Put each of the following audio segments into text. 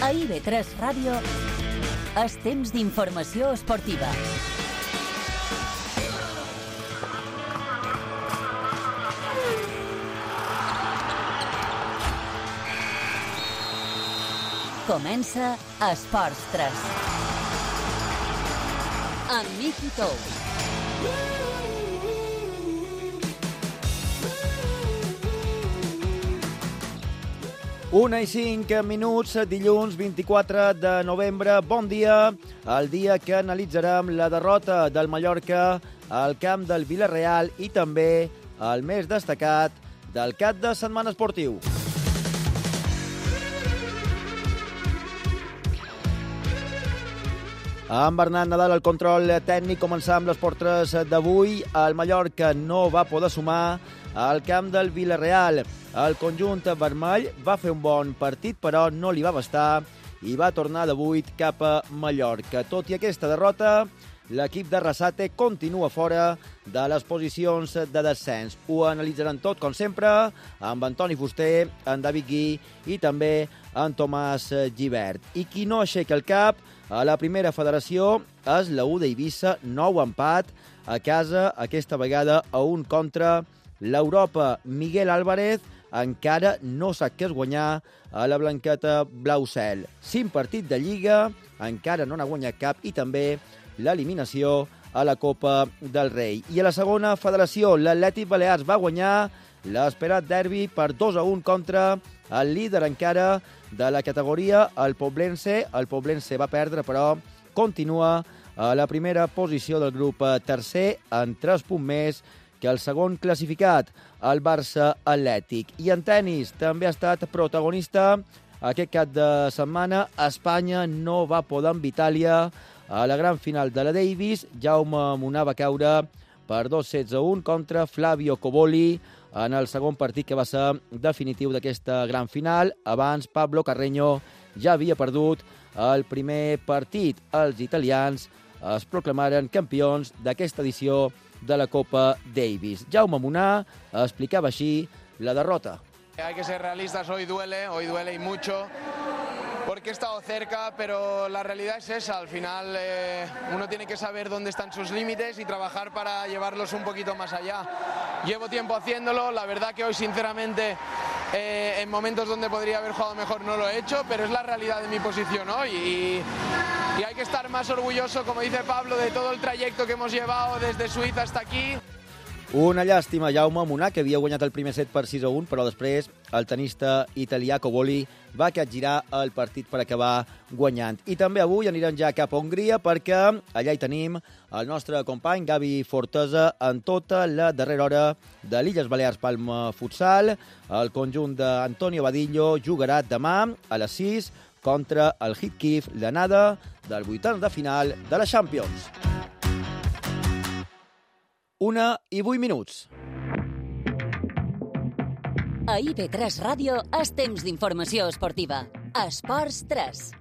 A IB3 Ràdio és temps d'informació esportiva. Comença Esports 3. Amb Miqui Tous. Una i 5 minuts, dilluns 24 de novembre. Bon dia, el dia que analitzarem la derrota del Mallorca al camp del Villarreal i també el més destacat del cap de setmana esportiu. Amb Bernat Nadal al control tècnic, començar amb les portes d'avui. El Mallorca no va poder sumar al camp del Villarreal. El conjunt vermell va fer un bon partit, però no li va bastar i va tornar de 8 cap a Mallorca. Tot i aquesta derrota, l'equip de Rassate continua fora de les posicions de descens. Ho analitzaran tot, com sempre, amb Antoni Fuster, en David Gui i també en Tomàs Gibert. I qui no aixeca el cap a la primera federació és la U d'Eivissa, nou empat a casa, aquesta vegada a 1 contra l'Europa. Miguel Álvarez encara no sap què és guanyar a la blanqueta blau cel. 5 partits de Lliga, encara no n'ha guanyat cap i també l'eliminació a la Copa del Rei. I a la segona federació, l'Atlètic Balears va guanyar l'esperat derbi per 2-1 contra el líder encara de la categoria, el Poblense. El Poblense va perdre, però continua a la primera posició del grup tercer, en 3 punts més que el segon classificat, el Barça Atlètic. I en tenis també ha estat protagonista aquest cap de setmana. Espanya no va poder amb Itàlia a la gran final de la Davis. Jaume Munar va caure per 2-16-1 contra Flavio Coboli en el segon partit que va ser definitiu d'aquesta gran final. Abans, Pablo Carreño ja havia perdut el primer partit. Els italians es proclamaren campions d'aquesta edició de la Copa Davis. Jaume Munar explicava així la derrota. Hay que ser realistas, hoy duele y mucho, porque he estado cerca, pero la realidad es esa. Al final uno tiene que saber dónde están sus límites y trabajar para llevarlos un poquito más allá. Llevo tiempo haciéndolo, la verdad que hoy sinceramente en momentos donde podría haber jugado mejor no lo he hecho, pero es la realidad de mi posición hoy y hay que estar más orgulloso, como dice Pablo, de todo el trayecto que hemos llevado desde Suiza hasta aquí. Una llàstima, Jaume Munar, que havia guanyat el primer set per 6-1, però després el tenista italià Coboli va capgirar el partit per acabar guanyant. I també avui anirem ja cap a Hongria, perquè allà hi tenim el nostre company Gavi Fortesa en tota la darrera hora de l'Illes Balears Palma Futsal. El conjunt d'Antonio Badillo jugarà demà a les 6 contra el Hitkif, l'anada del 8 de final de la Champions. 1:08. A IB3 Ràdio és temps d'informació esportiva. Esports 3.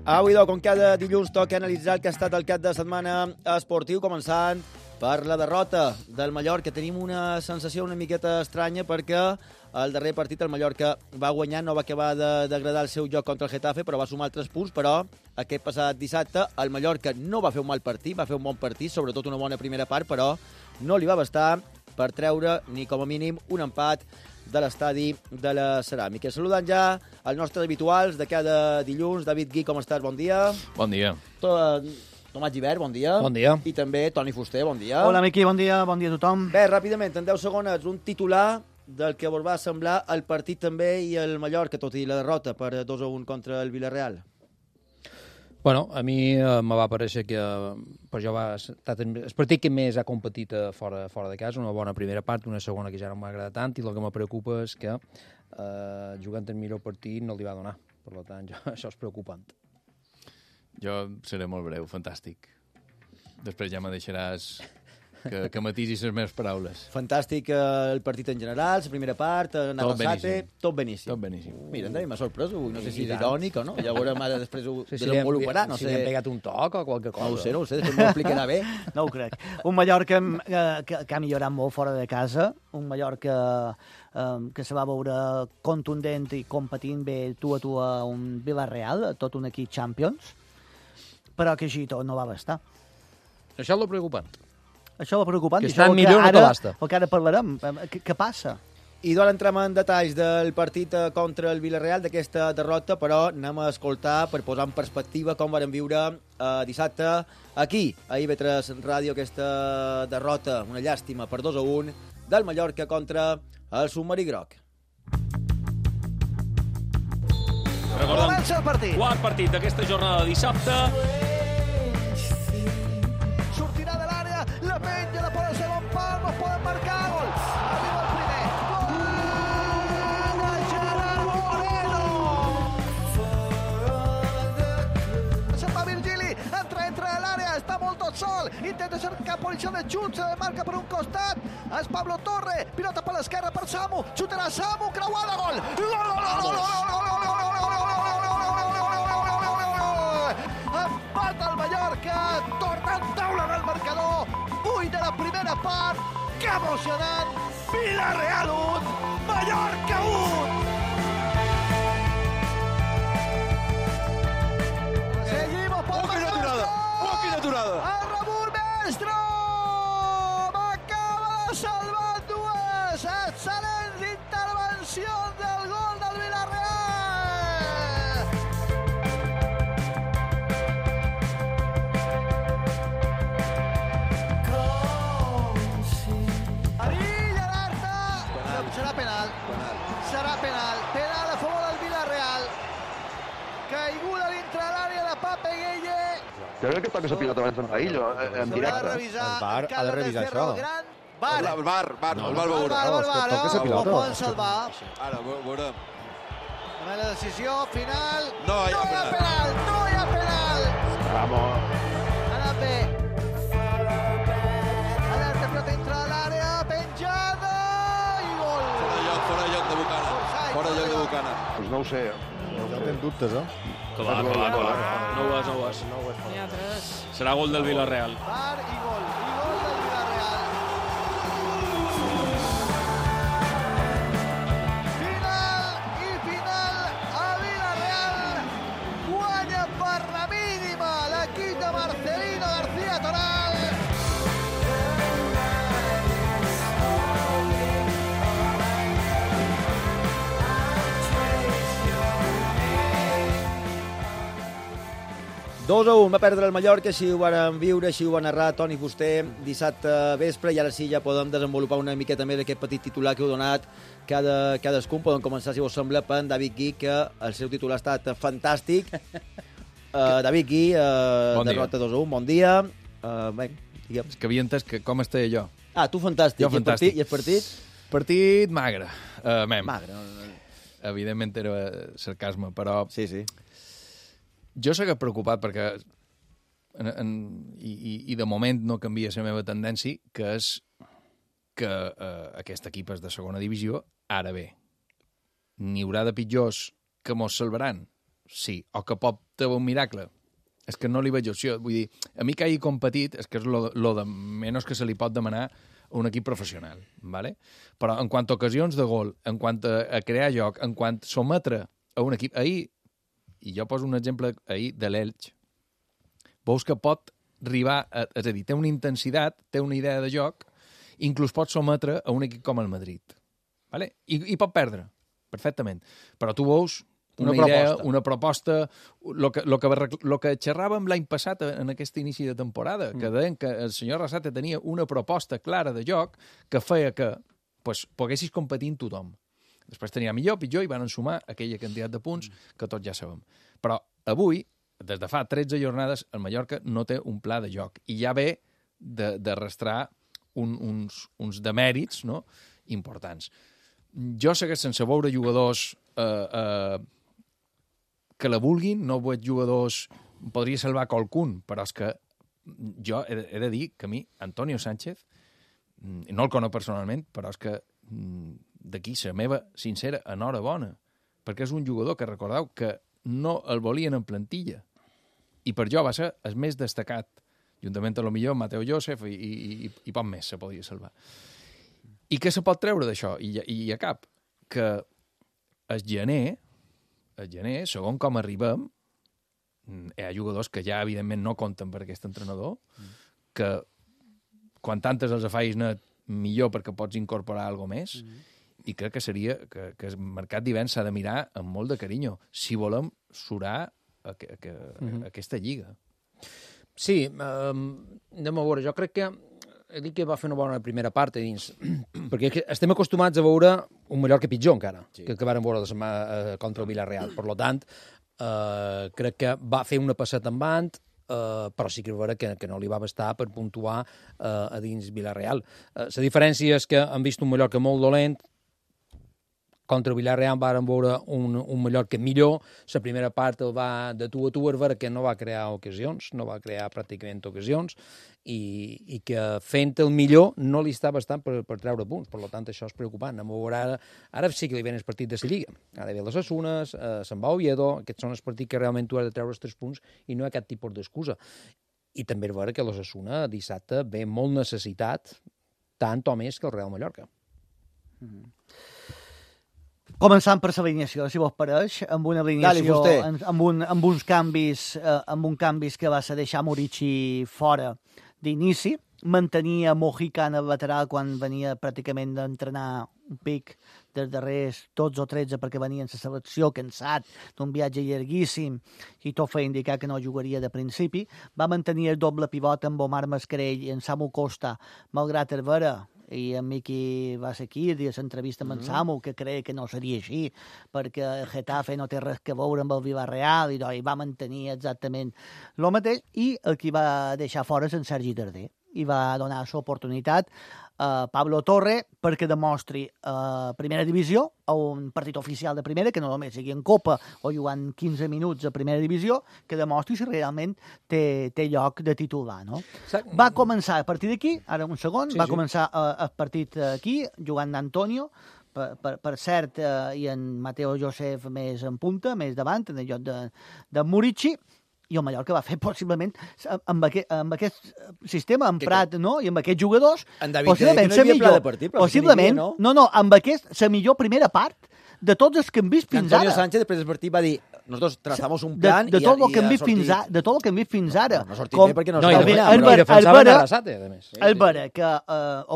Avui, com cada dilluns, toca analitzar el que ha estat el cap de setmana esportiu, començant per la derrota del Mallorca. Tenim una sensació una miqueta estranya perquè el darrer partit el Mallorca va guanyar, no va acabar d'agradar el seu joc contra el Getafe, però va sumar 3 punts, però aquest passat dissabte el Mallorca no va fer un mal partit, va fer un bon partit, sobretot una bona primera part, però no li va bastar per treure ni com a mínim un empat de l'estadi de la Ceràmica. Saludant ja els nostres habituals de cada dilluns. David Gui, com estàs? Bon dia. Bon dia. Tomàs Gibert, bon dia. Bon dia. I també Toni Fuster, bon dia. Hola, Miqui, bon dia a tothom. Bé, ràpidament, en 10 segons, un titular del que vos va semblar el partit també i el Mallorca, tot i la derrota per 2-1 contra el Villarreal. Bueno, a mi me va parèixer que per jo va estar el partit que més ha competit fora de casa, una bona primera part, una segona que ja no m'ha agradat tant, i el que me preocupa és que jugant el millor partit no li va donar. Per tant, això és preocupant. Jo seré molt breu, fantàstic. Després ja me deixaràs que matisi les meves paraules. Fantàstic el partit en general, la primera part, anava al Sate, tot beníssim. Tot beníssim. Mira, m'ha sorprès, no sé si és irònic o no, ja veurem ara després ho Si desenvoluparà, no si sé. li han pegat un toc o qualque cosa. No ho sé, després m'ho explicarà bé. No ho crec. Un Mallorca que ha millorat molt fora de casa, un Mallorca que se va veure contundent i competint bé tu a un Villarreal, tot un equip Champions, però que així tot no va bastar. Això és el preocupant. Això és preocupant. Que estan millor no te basta. El que ara parlarem. Què passa? I d'ara entrem en detalls del partit contra el Villarreal, d'aquesta derrota, però anem a escoltar per posar en perspectiva com varen viure dissabte aquí, a IB3 Ràdio, aquesta derrota, una llàstima per 2-1 del Mallorca contra el submarí groc. Comença el partit. Quart partit d'aquesta jornada de dissabte. Sortirà de l'àrea, la penja, la posa el segon pal, no poden marcar, gol. Arriba el primer. Gol de Gerard Moreno. Se'n va Virgili, entra a l'àrea, està molt tot sol, intenta cercar posició de xut, se marca per un costat, és Pablo Torre, pilota per l'esquerra per Samu, xutarà Samu, creuada, gol. Empata el Mallorca, torna en taula del marcador, 8 de la primera part, que emocionant, Villarreal 1, Mallorca 1. Seguimos por Quina aturada. El rebut Maestro, m'acaba de salvar dues excel·lents intervencions del gol del Villarreal. Penal a favor del Villarreal. Caiguda dintre l'àrea de Pape Gueye. Jo crec que toca la pilota abans d'en Raillo, en directe. El VAR ha de revisar això. El VAR veurà. Toca la pilota. Ho poden salvar. Ara, veurem. La decisió final. No hi ha penal. No hi ha penal. Vamos. Ha anat bé. Alerta, pilota dintre l'àrea, penjada i gol. Fora lloc de Bucana. Fora lloc de Bucana. Doncs no ho sé. Ja tens dubtes, eh? Clar. No ho és. Serà gol del Villarreal. VAR i gol del Villarreal. Final a Villarreal. Guanya per la mínima l'equip de Marcelino García Toral. Dos a 1 va perdre el Mallorca, així ho van viure, així ho va narrar Toni Fuster dissabte vespre, i ara sí ja podem desenvolupar una miqueta més aquest petit titular que heu donat cadascun. Podem començar, si us sembla, per David Gui, que el seu titular ha estat fantàstic. David Gui, derrota 2-1, bon dia. Bé, digue'm. És que havia entès que com estava jo. Ah, tu fantàstic. Jo fantàstic. I el partit? Partit magre. Magre. Evidentment era sarcasme, però... Sí. Jo segueixo preocupat perquè i de moment no canvia la meva tendència, que és que aquest equip és de segona divisió. Ara bé, n'hi haurà de pitjors que mos salvaran? Sí. O que pot tenir un miracle? És que no li veig opció. Vull dir, a mi que hagi competit és que és lo de menys que se li pot demanar a un equip professional, ¿vale? Però en quant a ocasions de gol, en quant a crear joc, en quant a sometre a un equip... Ahir, i jo poso un exemple ahir de l'Elx, veus que pot arribar, és a dir, té una intensitat, té una idea de joc, inclús pot sometre a un equip com el Madrid. ¿Vale? I pot perdre, perfectament. Però tu veus una idea, una proposta, el que xerràvem l'any passat en aquest inici de temporada, que deien que el senyor Arrasate tenia una proposta clara de joc que feia que poguessis competir amb tothom. Després tenia millor, pitjor, i van sumar aquella quantitat de punts que tots ja sabem. Però avui, des de fa 13 jornades, el Mallorca no té un pla de joc i ja ve d'arrastrar uns demèrits, no?, importants. Jo segueix sense veure jugadors que la vulguin, no veig jugadors... Podria salvar qualcun, però és que jo he de dir que a mi, Antonio Sánchez, no el conec personalment, però és que d'aquí la meva sincera enhorabona, perquè és un jugador que recordeu que no el volien en plantilla, i per jo va ser el més destacat, juntament a lo millor Mateo Joseph i poc més se podia salvar. I què se pot treure d'això? I a cap, que el gener, segons com arribem, hi ha jugadors que ja, evidentment, no compten per aquest entrenador, que quan tantes els afais net, millor perquè pots incorporar alguna més, i crec que seria que el mercat d'hivern s'ha de mirar amb molt de carinyo, si volem surar aquesta lliga. Sí, anem a veure, jo crec que he dit que va fer una bona primera part a dins, perquè estem acostumats a veure un Mallorca pitjor encara, que vàrem veure la setmana contra el Villarreal. Per tant, crec que va fer una passeta en band, però sí que és vera que no li va bastar per puntuar a dins Villarreal. La diferència és que han vist un Mallorca molt dolent, contra el Villarreal varen veure un Mallorca millor, la primera part el va de tu a tu, és vera que no va crear ocasions, no va crear pràcticament ocasions, i que fent el millor no li està bastant per treure punts, per tant això és preocupant. Ara sí que li ven el partit de la Lliga, ara ve les Asunes, se'n va Oviedo, aquests són els partits que realment tu has de treure els 3 punts i no hi ha cap tipus d'excusa. I també és vera que l'Osasuna dissabte ve molt necessitat, tant o més que el Real Mallorca. Començant per l'alineació, si vos pareix, amb una alineació, amb uns canvis, amb un canvis que va ser deixar Murici fora d'inici, mantenia Mojica en el lateral quan venia pràcticament d'entrenar un pic dels darrers 12 o 13 perquè venia en la selecció cansat d'un viatge llarguíssim i tot feia indicar que no jugaria de principi. Va mantenir el doble pivot amb Omar Mascarell i en Samu Costa, malgrat el vera, i en Miqui va ser aquí i a l'entrevista amb en Samu que creia que no seria així perquè el Getafe no té res que veure amb el Villarreal i va mantenir exactament el mateix, i el que va deixar fora és en Sergi Darder i va donar l'oportunitat a Pablo Torre perquè demostri a primera divisió, a un partit oficial de primera, que no només sigui en Copa o jugant 15 minuts a primera divisió, que demostri si realment té lloc de titular, no? Va començar a partir d'aquí, ara un segon, va començar el partit aquí, jugant d'Antonio, per cert, i en Mateo Joseph més en punta, més davant, en el lloc de Murici, i el Mallorca va fer possiblement amb aquest sistema emprat, no? I amb aquests jugadors, possiblement, amb la millor primera part de tots els que hem vist fins ara. Antonio Sánchez després del partit va dir nosotros trazamos un plan de tot el que hem vist fins ara. No sortit bé perquè no sortit bé. I defensaven Arrasate, a més. És vera que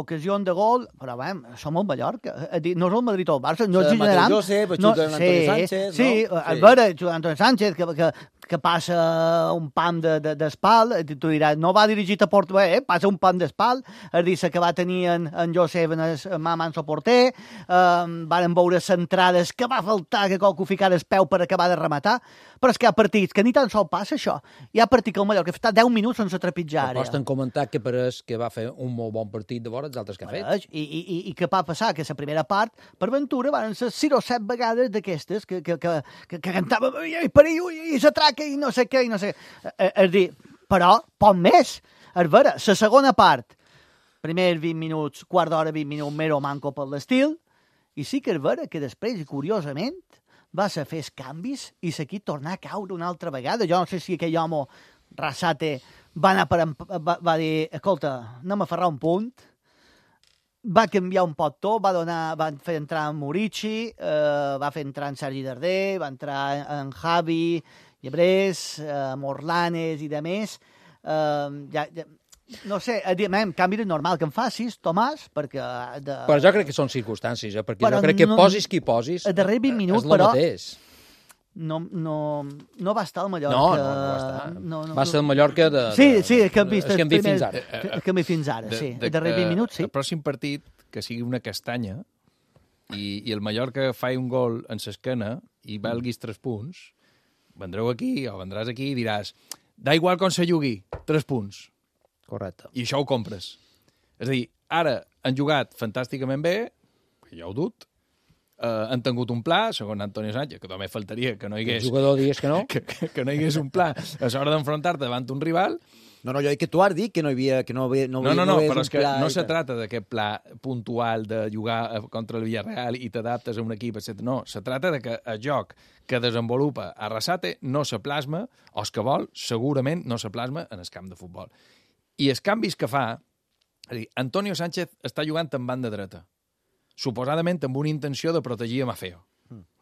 ocasió de gol, però som el Mallorca. No és el Madrid o el Barça. No és Mateo Joseph, xuta Antonio Sánchez. Sí, és vera, xuta Antonio Sánchez, que passa un pam d'espal, tu diràs, no va dirigit a port bé, passa un pam d'espal, es diu que va tenir en Josep en el Manso porter, van veure centrades que va faltar que qualcú ficara el peu per acabar de rematar, però és que hi ha partits que ni tan sol passa això. Hi ha partit que el Mallorca està 10 minuts sense trepitjar. Posten comentar que pareix que va fer un molt bon partit de vora els altres que ha fet. I què va passar? Que la primera part, per ventura, van ser 6 o 7 vegades d'aquestes que cantava i s'atraca i no sé què, i no sé. És dir, però, poc més. És vera, la segona part, primers 20 minuts, quart d'hora, 20 minuts, mero manco per l'estil, i sí que és vera que després, curiosament, va ser fer els canvis i l'equip tornar a caure una altra vegada. Jo no sé si aquell home, Arrasate, va dir, escolta, anem a ferrar un punt, va canviar un poc tot, va fer entrar en Murici, va fer entrar en Sergi Darder, va entrar en Javi, Llebrés, Morlanes i demés. No sé, canvi de normal que em facis, Tomàs, perquè... Però jo crec que són circumstàncies, perquè jo crec que posis qui posis... A darrer 20 minuts, però... No va estar al Mallorca... No va estar. Va ser el Mallorca de... Sí, que hem vist fins ara. Que hem vist fins ara, sí. A darrer 20 minuts, sí. El pròxim partit, que sigui una castanya, i el Mallorca fa un gol en l'esquena i valguis 3 punts, vendreu aquí o vendràs aquí i diràs da igual com se jugui, 3 punts. Correcte. I això ho compres. És a dir, ara han jugat fantàsticament bé, jo ho dut, han tingut un pla, segons Antonio Sánchez, que també faltaria que no hi hagués... El jugador digués que no. Que no hi hagués un pla a l'hora d'enfrontar-te davant un rival. No, jo dic que tu has dit que no hi havia... Que no, Però és que no se trata d'aquest pla puntual de jugar contra el Villarreal i t'adaptes a un equip, etc. No, se trata de que el joc que desenvolupa Arrasate no se plasma, o el que vol, segurament no se plasma en el camp de futbol. I els canvis que fa... És a dir, Antonio Sánchez està jugant en banda dreta, suposadament amb una intenció de protegir a Maffeo.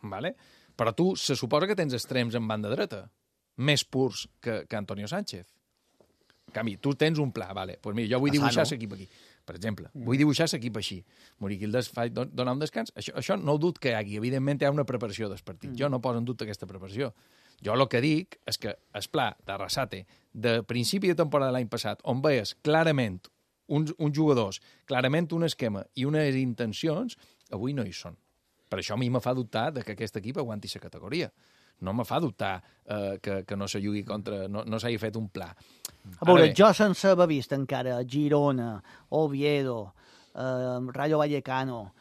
Vale? Però tu se suposa que tens extrems en banda dreta, més purs que Antonio Sánchez. En canvi, tu tens un pla, vale. Pues mira, jo vull dibuixar l'equip aquí. Per exemple, vull dibuixar l'equip així. Moriquildes fa donar un descans. Això no ho dubto que hi hagi. Evidentment hi ha una preparació del partit. Jo no poso en dubte aquesta preparació. Jo el que dic és que el pla d'Arrasate de principi de temporada de l'any passat, on veies clarament uns jugadors, clarament un esquema i unes intencions, avui no hi són. Per això a mi me fa dubtar de que aquest equip aguanti la categoria. No me fa dubtar que no se jugui contra... No s'hagi fet un pla. A veure, jo sense haver vist encara Girona, Oviedo, Rayo Vallecano,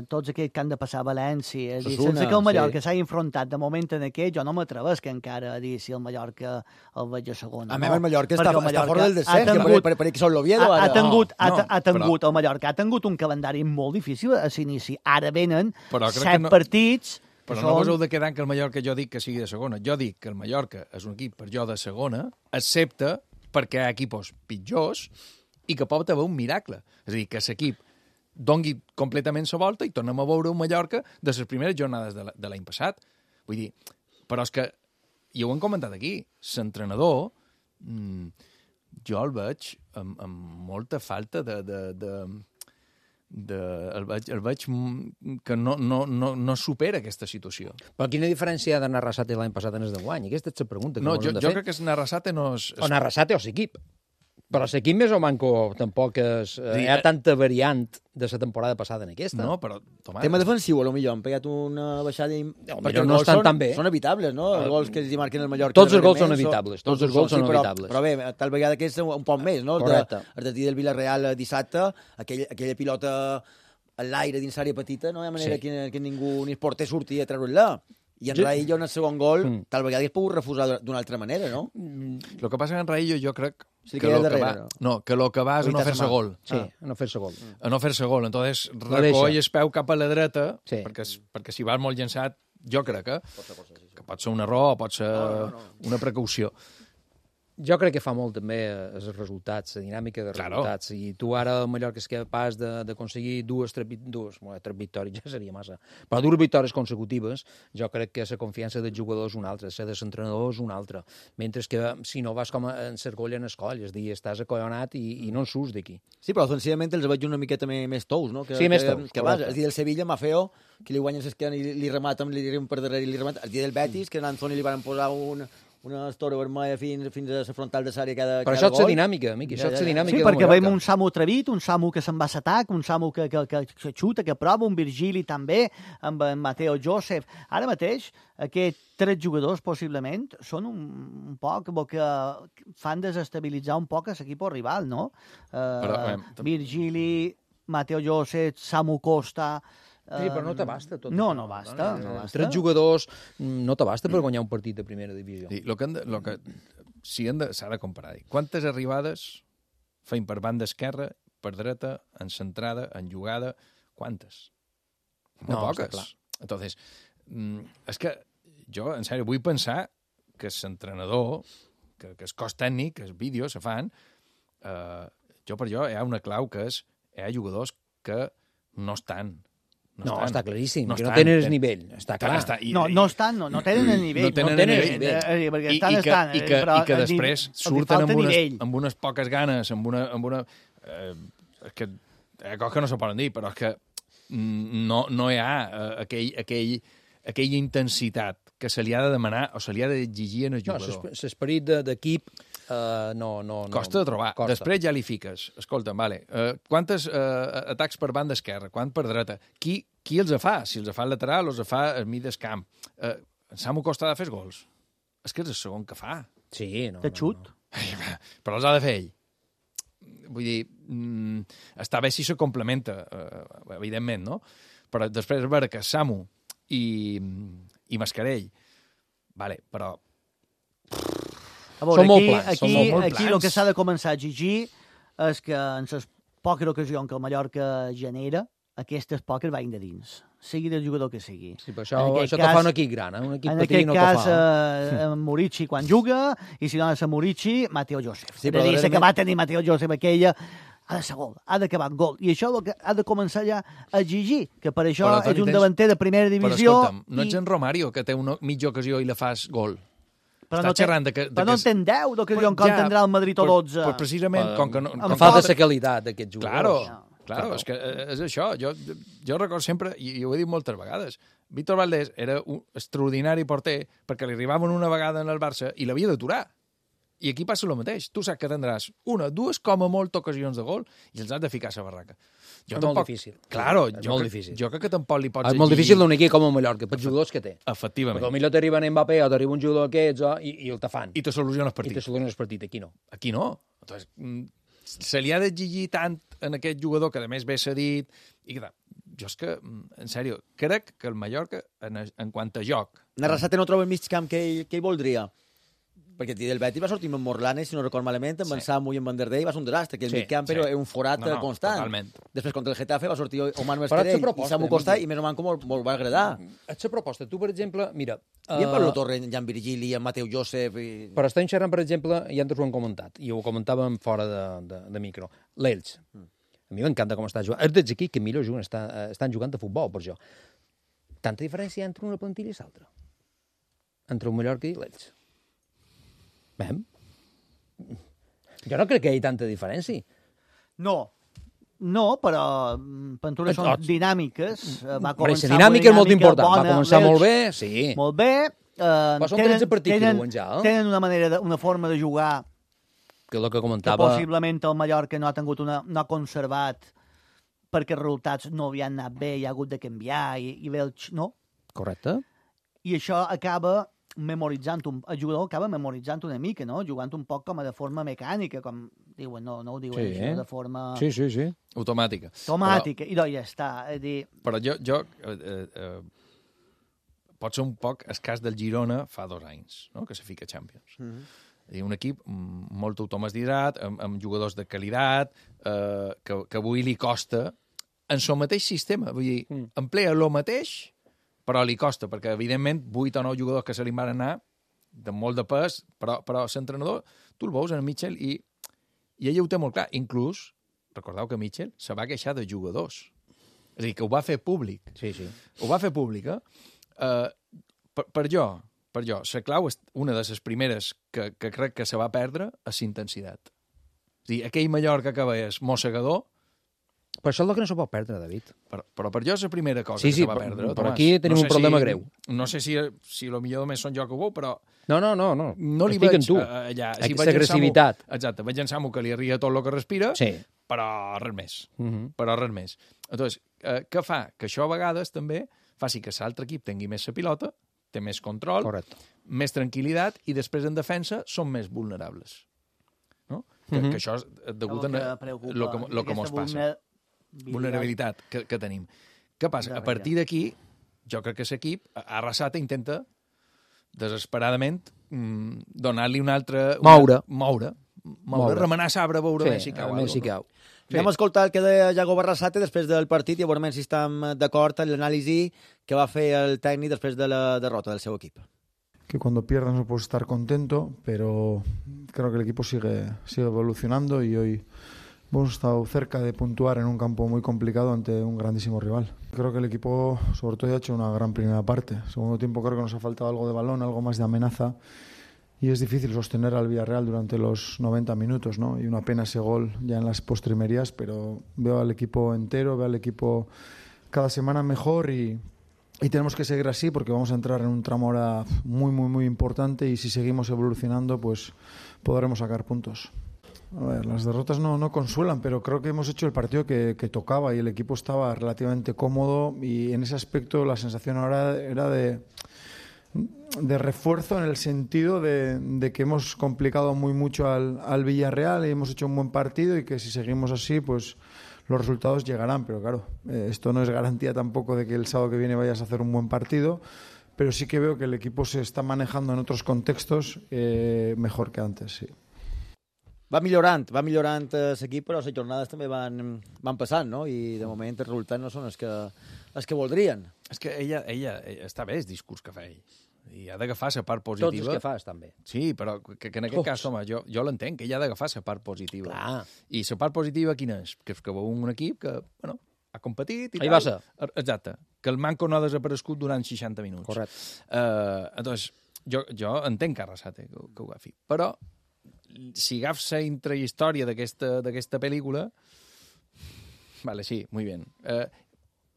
tots aquells que han de passar a València, sense que el Mallorca s'hagi enfrontat de moment en aquell, jo no m'atrevesc encara a dir si el Mallorca el veig a segona. A més, el Mallorca està fora del descens, per que són l'Oviedo. El Mallorca ha tingut un calendari molt difícil a l'inici. Ara venen 7 partits... Però no vos heu de quedar que el Mallorca jo dic que sigui de segona. Jo dic que el Mallorca és un equip per jo de segona, excepte perquè hi ha equips pitjors i que pot haver un miracle. És a dir, que l'equip dongui completament la volta i tornem a veure un Mallorca de les primeres jornades de l'any passat. Vull dir, però és que, i ho hem comentat aquí, l'entrenador, jo el veig amb molta falta el veig que no supera aquesta situació. Però quina diferència hi ha d'anar Arrasate l'any passat en el d'enguany? Aquesta és la pregunta. No, jo crec que Arrasate no és... O Arrasate o l'equip. Però l'equip més o manco tampoc hi ha tanta variant de la temporada passada en aquesta. No, però... Tema defensiu, potser han pegat una baixada... Perquè no estan tan bé. Són evitables, no? Els gols que es marquen el Mallorca... Tots els gols són evitables. Tots els gols són evitables. Però bé, tal vegada que és un poc més, no? Correcte. El del Villarreal dissabte, aquella pilota a l'aire dins l'àrea petita, no hi ha manera que ningú ni el porter surti a treure-la. I en Raillo, en el segon gol, tal vegada hauria pogut refusar d'una altra manera, no? El que passa que en Raillo jo crec que el que va és a no fer-se gol. Sí, a no fer-se gol. A no fer-se gol. Entonces, recoll el peu cap a la dreta, perquè si vas molt llançat, jo crec que pot ser un error o pot ser una precaució. Jo crec que fa molt també els resultats, la dinàmica de resultats. I tu ara el Mallorca és capaç d'aconseguir tres victòries, ja seria massa, però dues victòries consecutives, jo crec que la confiança del jugador és una altra, la de l'entrenador és una altra. Mentre que si no vas com en cercolla en escoll, és a dir, estàs acollonat i no en surts d'aquí. Sí, però ofensivament els veig una miqueta més tous, no? Sí, més tous, correcte. El dia del Sevilla, Maffeo, que li guanyen l'esquena i li rematen, li arriben per darrere i li rematen. El dia del Betis, que a Anzoni li van posar una estora vermella fins a la frontal de l'àrea cada gol. Però això és la dinàmica, Miqui, això és la dinàmica. Sí, perquè veiem un Samu atrevit, un Samu que se'n va a l'atac, un Samu que xuta, que prova, un Virgili també, amb en Mateo Joseph. Ara mateix, aquests 3 jugadors, possiblement, són un poc que fan desestabilitzar un poc l'equip rival, no? Virgili, Mateo Joseph, Samu Costa... Sí, però no t'abasta tot. No basta. 3 jugadors no t'abasta per guanyar un partit de primera divisió. Sí, s'ha de comparar. Quantes arribades feim per banda esquerra, per dreta, en centrada, en jugada? Quantes? Molt poques. Entonces, és que jo, en sèrio, vull pensar que l'entrenador, que el cos tècnic, que els vídeos se fan, per jo hi ha una clau que és hi ha jugadors que no estan. No, està claríssim, que no tenen el nivell, està clar. No estan, no tenen el nivell. No tenen el nivell. Perquè estan, I que després surten amb unes poques ganes, amb una... És que hi ha coses que no se poden dir, però és que no hi ha aquella intensitat que se li ha de demanar o se li ha d'exigir en el jugador. No, l'esperit d'equip no... Costa de trobar. Després ja li fiques. Escolta'm, vale, quantes atacs per banda esquerra, quant per dreta? Qui els fa? Si els fa el lateral o els fa el mig del camp? Samu Costa ha de fer gols. És que és el segon que fa. Sí, no. De xut. Però els ha de fer ell. Vull dir, està bé si se complementa, evidentment, no? Però després veure que Samu i Mascarell, vale, però... A veure, són molt plans. Aquí el que s'ha de començar a exigir és que en les poques ocasions que el Mallorca genera, aquestes poques vagin de dins, sigui del jugador que sigui. Sí, però això te fa un equip gran, un equip petit no te fa. En aquest cas, Murici quan juga, i si no és Murici, Mateo Joseph. Sí, però és que va tenir Mateo Joseph aquella, ha de ser gol, ha d'acabar gol. I això el que ha de començar ja a exigir, que per això és un davanter de primera divisió. Però escolta'm, no ets en Romario, que té una mitja ocasió i la fas gol. Però no en 10 d'ocasió com tindrà el Madrid o 12. Pues precisament, com que no... Em fa de la qualitat d'aquests jugadors. Claro, és que és això. Jo recordo sempre, i ho he dit moltes vegades, Víctor Valdés era un extraordinari porter perquè li arribaven una vegada en el Barça i l'havia d'aturar. I aquí passa el mateix. Tu saps que tindràs una, dues, com a molt ocasions de gol i els has de ficar a la barraca. És molt difícil. Claro, molt difícil. Jo crec que tampoc li pots És molt difícil d'un equip com el Mallorca, pels jugadors que té. Efectivament. Perquè potser t'arriba en Mbappé o t'arriba un jugador d'aquests i el te fan. I te soluciona el partit. I te soluciona el partit. Aquí no. Aquí no. Entonces, se li ha d'exigir tant en aquest jugador que a més ve cedit i que jo és que, en sèrio, crec que el Mallorca, en quant a joc... Arrasate no troba el mig camp que ell voldria. Perquè del Betis va sortir amb Morlanes, si no record malament, amb en Samu i en Van der Dey, va ser un desastre, que el mig camp era un forat constant. Totalment. Després, contra el Getafe, va sortir Omar Mascarell i Samu Costa, i més o menys molt va agradar. És la proposta. Tu, per exemple, mira... I en Pablo Torre, en Jan Virgili, en Mateu Joseph... Però estem xerrant, per exemple, i antes ho hem comentat, i ho comentàvem fora de micro, l'Elx. A mi m'encanta com està jugant. És dels equips que millor juguen, estan jugant a futbol, per això. Tanta diferència entre una plantilla i l'altra. Entre el Mallorca i l'Elx. Bem. Jo no crec que hi hagi tanta diferència. No, però Pantures són dinàmiques. Va començar dinàmica és molt important. Va començar molt bé, sí. Molt bé. Però són 13 partits que diuen ja. Tenen una forma de jugar que és el que comentava... Que possiblement el Mallorca no ha tingut no ha conservat perquè els resultats no havien anat bé, hi ha hagut de canviar i bé, no? Correcte. I això acaba memoritzant, el jugador acaba memoritzant una mica, no? Jugant un poc com a de forma mecànica, com diuen, no ho diuen així, de forma... Sí. Automàtica. I doncs ja està. Però jo pot ser un poc el cas del Girona fa 2 anys, no? Que se fica a Champions. Un equip molt automatitzat, amb jugadors de qualitat, que avui li costa en el mateix sistema. Vull dir, emplea el mateix, però li costa, perquè, evidentment, 8 o 9 jugadors que se li van anar, de molt de pes, però l'entrenador, tu el veus en Mitchell, i ell ho té molt clar. Inclús, recordeu que Mitchell se va queixar de jugadors. És a dir, que ho va fer públic. Sí. Ho va fer públic, Per jo, la clau és una de les primeres que crec que se va perdre, és intensitat. És a dir, aquell Mallorca que veies mossegador... Però això és el que no se pot perdre, David. Però per jo és la primera cosa que se va perdre. Però aquí tenim un problema greu. No sé si lo millor només són jo que ho veu, però... No. No li veig allà. Aquesta agressivitat. Exacte, veig en Samu que li arria tot el que respira, però res més. Però res més. Entonces, què fa? Que això a vegades també faci que l'altre equip tingui més la pilota, té més control, més tranquil·litat, i després en defensa són més vulnerables. No? Que això és degut a el que ens passa. Vulnerabilitat que tenim. Què passa? A partir d'aquí, jo crec que l'equip, Arrasate intenta desesperadament donar-li un altre... Moure. Remenar sabre, veure si cau. Anem a escoltar el que deia Iago Arrasate després del partit i a veure si estem d'acord en l'anàlisi que va fer el tècnic després de la derrota del seu equip. Que cuando pierdas no puedes estar contento, pero creo que el equipo sigue evolucionando y hoy hemos estado cerca de puntuar en un campo muy complicado ante un grandísimo rival. Creo que el equipo, sobre todo, ha hecho una gran primera parte. Segundo tiempo creo que nos ha faltado algo de balón, algo más de amenaza, y es difícil sostener al Villarreal durante los 90 minutos, ¿no? Y una pena ese gol ya en las postrimerías, pero veo al equipo entero, veo al equipo cada semana mejor y tenemos que seguir así porque vamos a entrar en un tramo ahora muy importante y si seguimos evolucionando pues podremos sacar puntos. A ver, las derrotas no consuelan, pero creo que hemos hecho el partido que tocaba y el equipo estaba relativamente cómodo y en ese aspecto la sensación ahora era de refuerzo en el sentido de que hemos complicado mucho al Villarreal y hemos hecho un buen partido y que si seguimos así pues los resultados llegarán, pero claro, esto no es garantía tampoco de que el sábado que viene vayas a hacer un buen partido, pero sí que veo que el equipo se está manejando en otros contextos mejor que antes, sí. Va millorant l'equip, però les jornades també van passant, no? I de moment els resultats no són els que voldrien. És que ella està bé el discurs que fa ell. I ha d'agafar la part positiva. Tots els que fas, també. Sí, però que en aquest cas, home, jo l'entenc, que ella ha d'agafar la part positiva. Clar. I la part positiva quina és? Que veu un equip que, bueno, ha competit i Ahí tal. va ser. Exacte. Que el manco no ha desaparegut durant 60 minuts. Correcte. Entonces, jo entenc que Arrasate que ho agafi. Però, si agafs la intrahistòria d'aquesta pel·lícula, vale, sí, muy bien.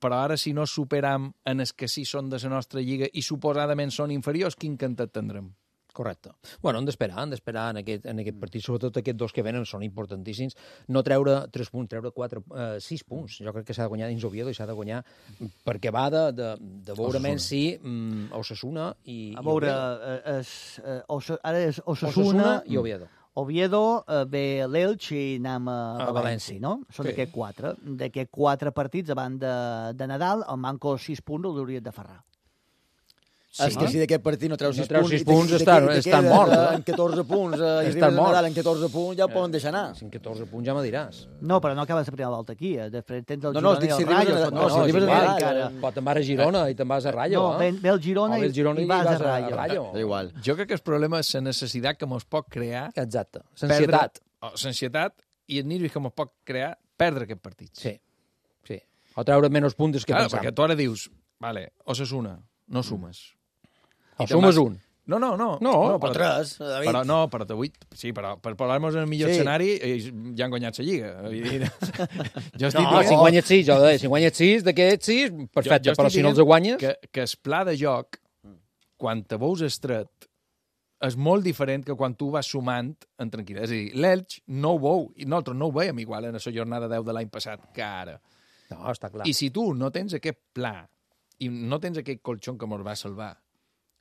Però ara, si no superam en els que sí són de la nostra lliga i suposadament són inferiors, quin cantet tindrem? Correcte. Bueno, han d'esperar en aquest partit, sobretot aquests dos que venen són importantíssims. No treure 3 punts, treure 6 punts. Jo crec que s'ha de guanyar dins Oviedo i s'ha de guanyar perquè va de veure menys si Osasuna i veure, ara és Osasuna i Oviedo. Oviedo, ve l'Elx i anem a València, no? Són d'aquests 4. D'aquests 4 partits, abans de Nadal, el manco 6 punts l'hauries de ferrar. Sí. És que si d'aquest partit no treus 6 punts, estan morts. En 14 punts, i arribes a Nadal en 14 punts, ja ho poden deixar anar. En 14 punts ja me diràs. No, però no acabes la primera volta aquí. Després tens el Girona i el Rayo. Si arribes a Nadal... Però te'n vas a Girona i te'n vas a Rayo. No, ve el Girona i vas a Rayo. Igual. Jo crec que el problema és la necessitat que mos pot crear... Exacte. L'ansietat i el nervis que mos pot crear perdre aquest partit. Sí. O treure menys punts que pensam. Perquè tu ara dius, vale, Osasuna, no sumes. O sumes un. No, o 3, David. Però per posar-nos en el millor escenari ja han guanyat la Lliga. Si guanyes 6, jo deia, si guanyes 6, d'aquests 6, perfecte, però si no els guanyes... Que el pla de joc, quan te veus estret, és molt diferent que quan tu vas sumant en tranquil·litat. És a dir, l'Elx no ho veu, i nosaltres no ho veiem igual en la jornada 10 de l'any passat que ara. No, està clar. I si tu no tens aquest pla i no tens aquest colxon que ens va salvar,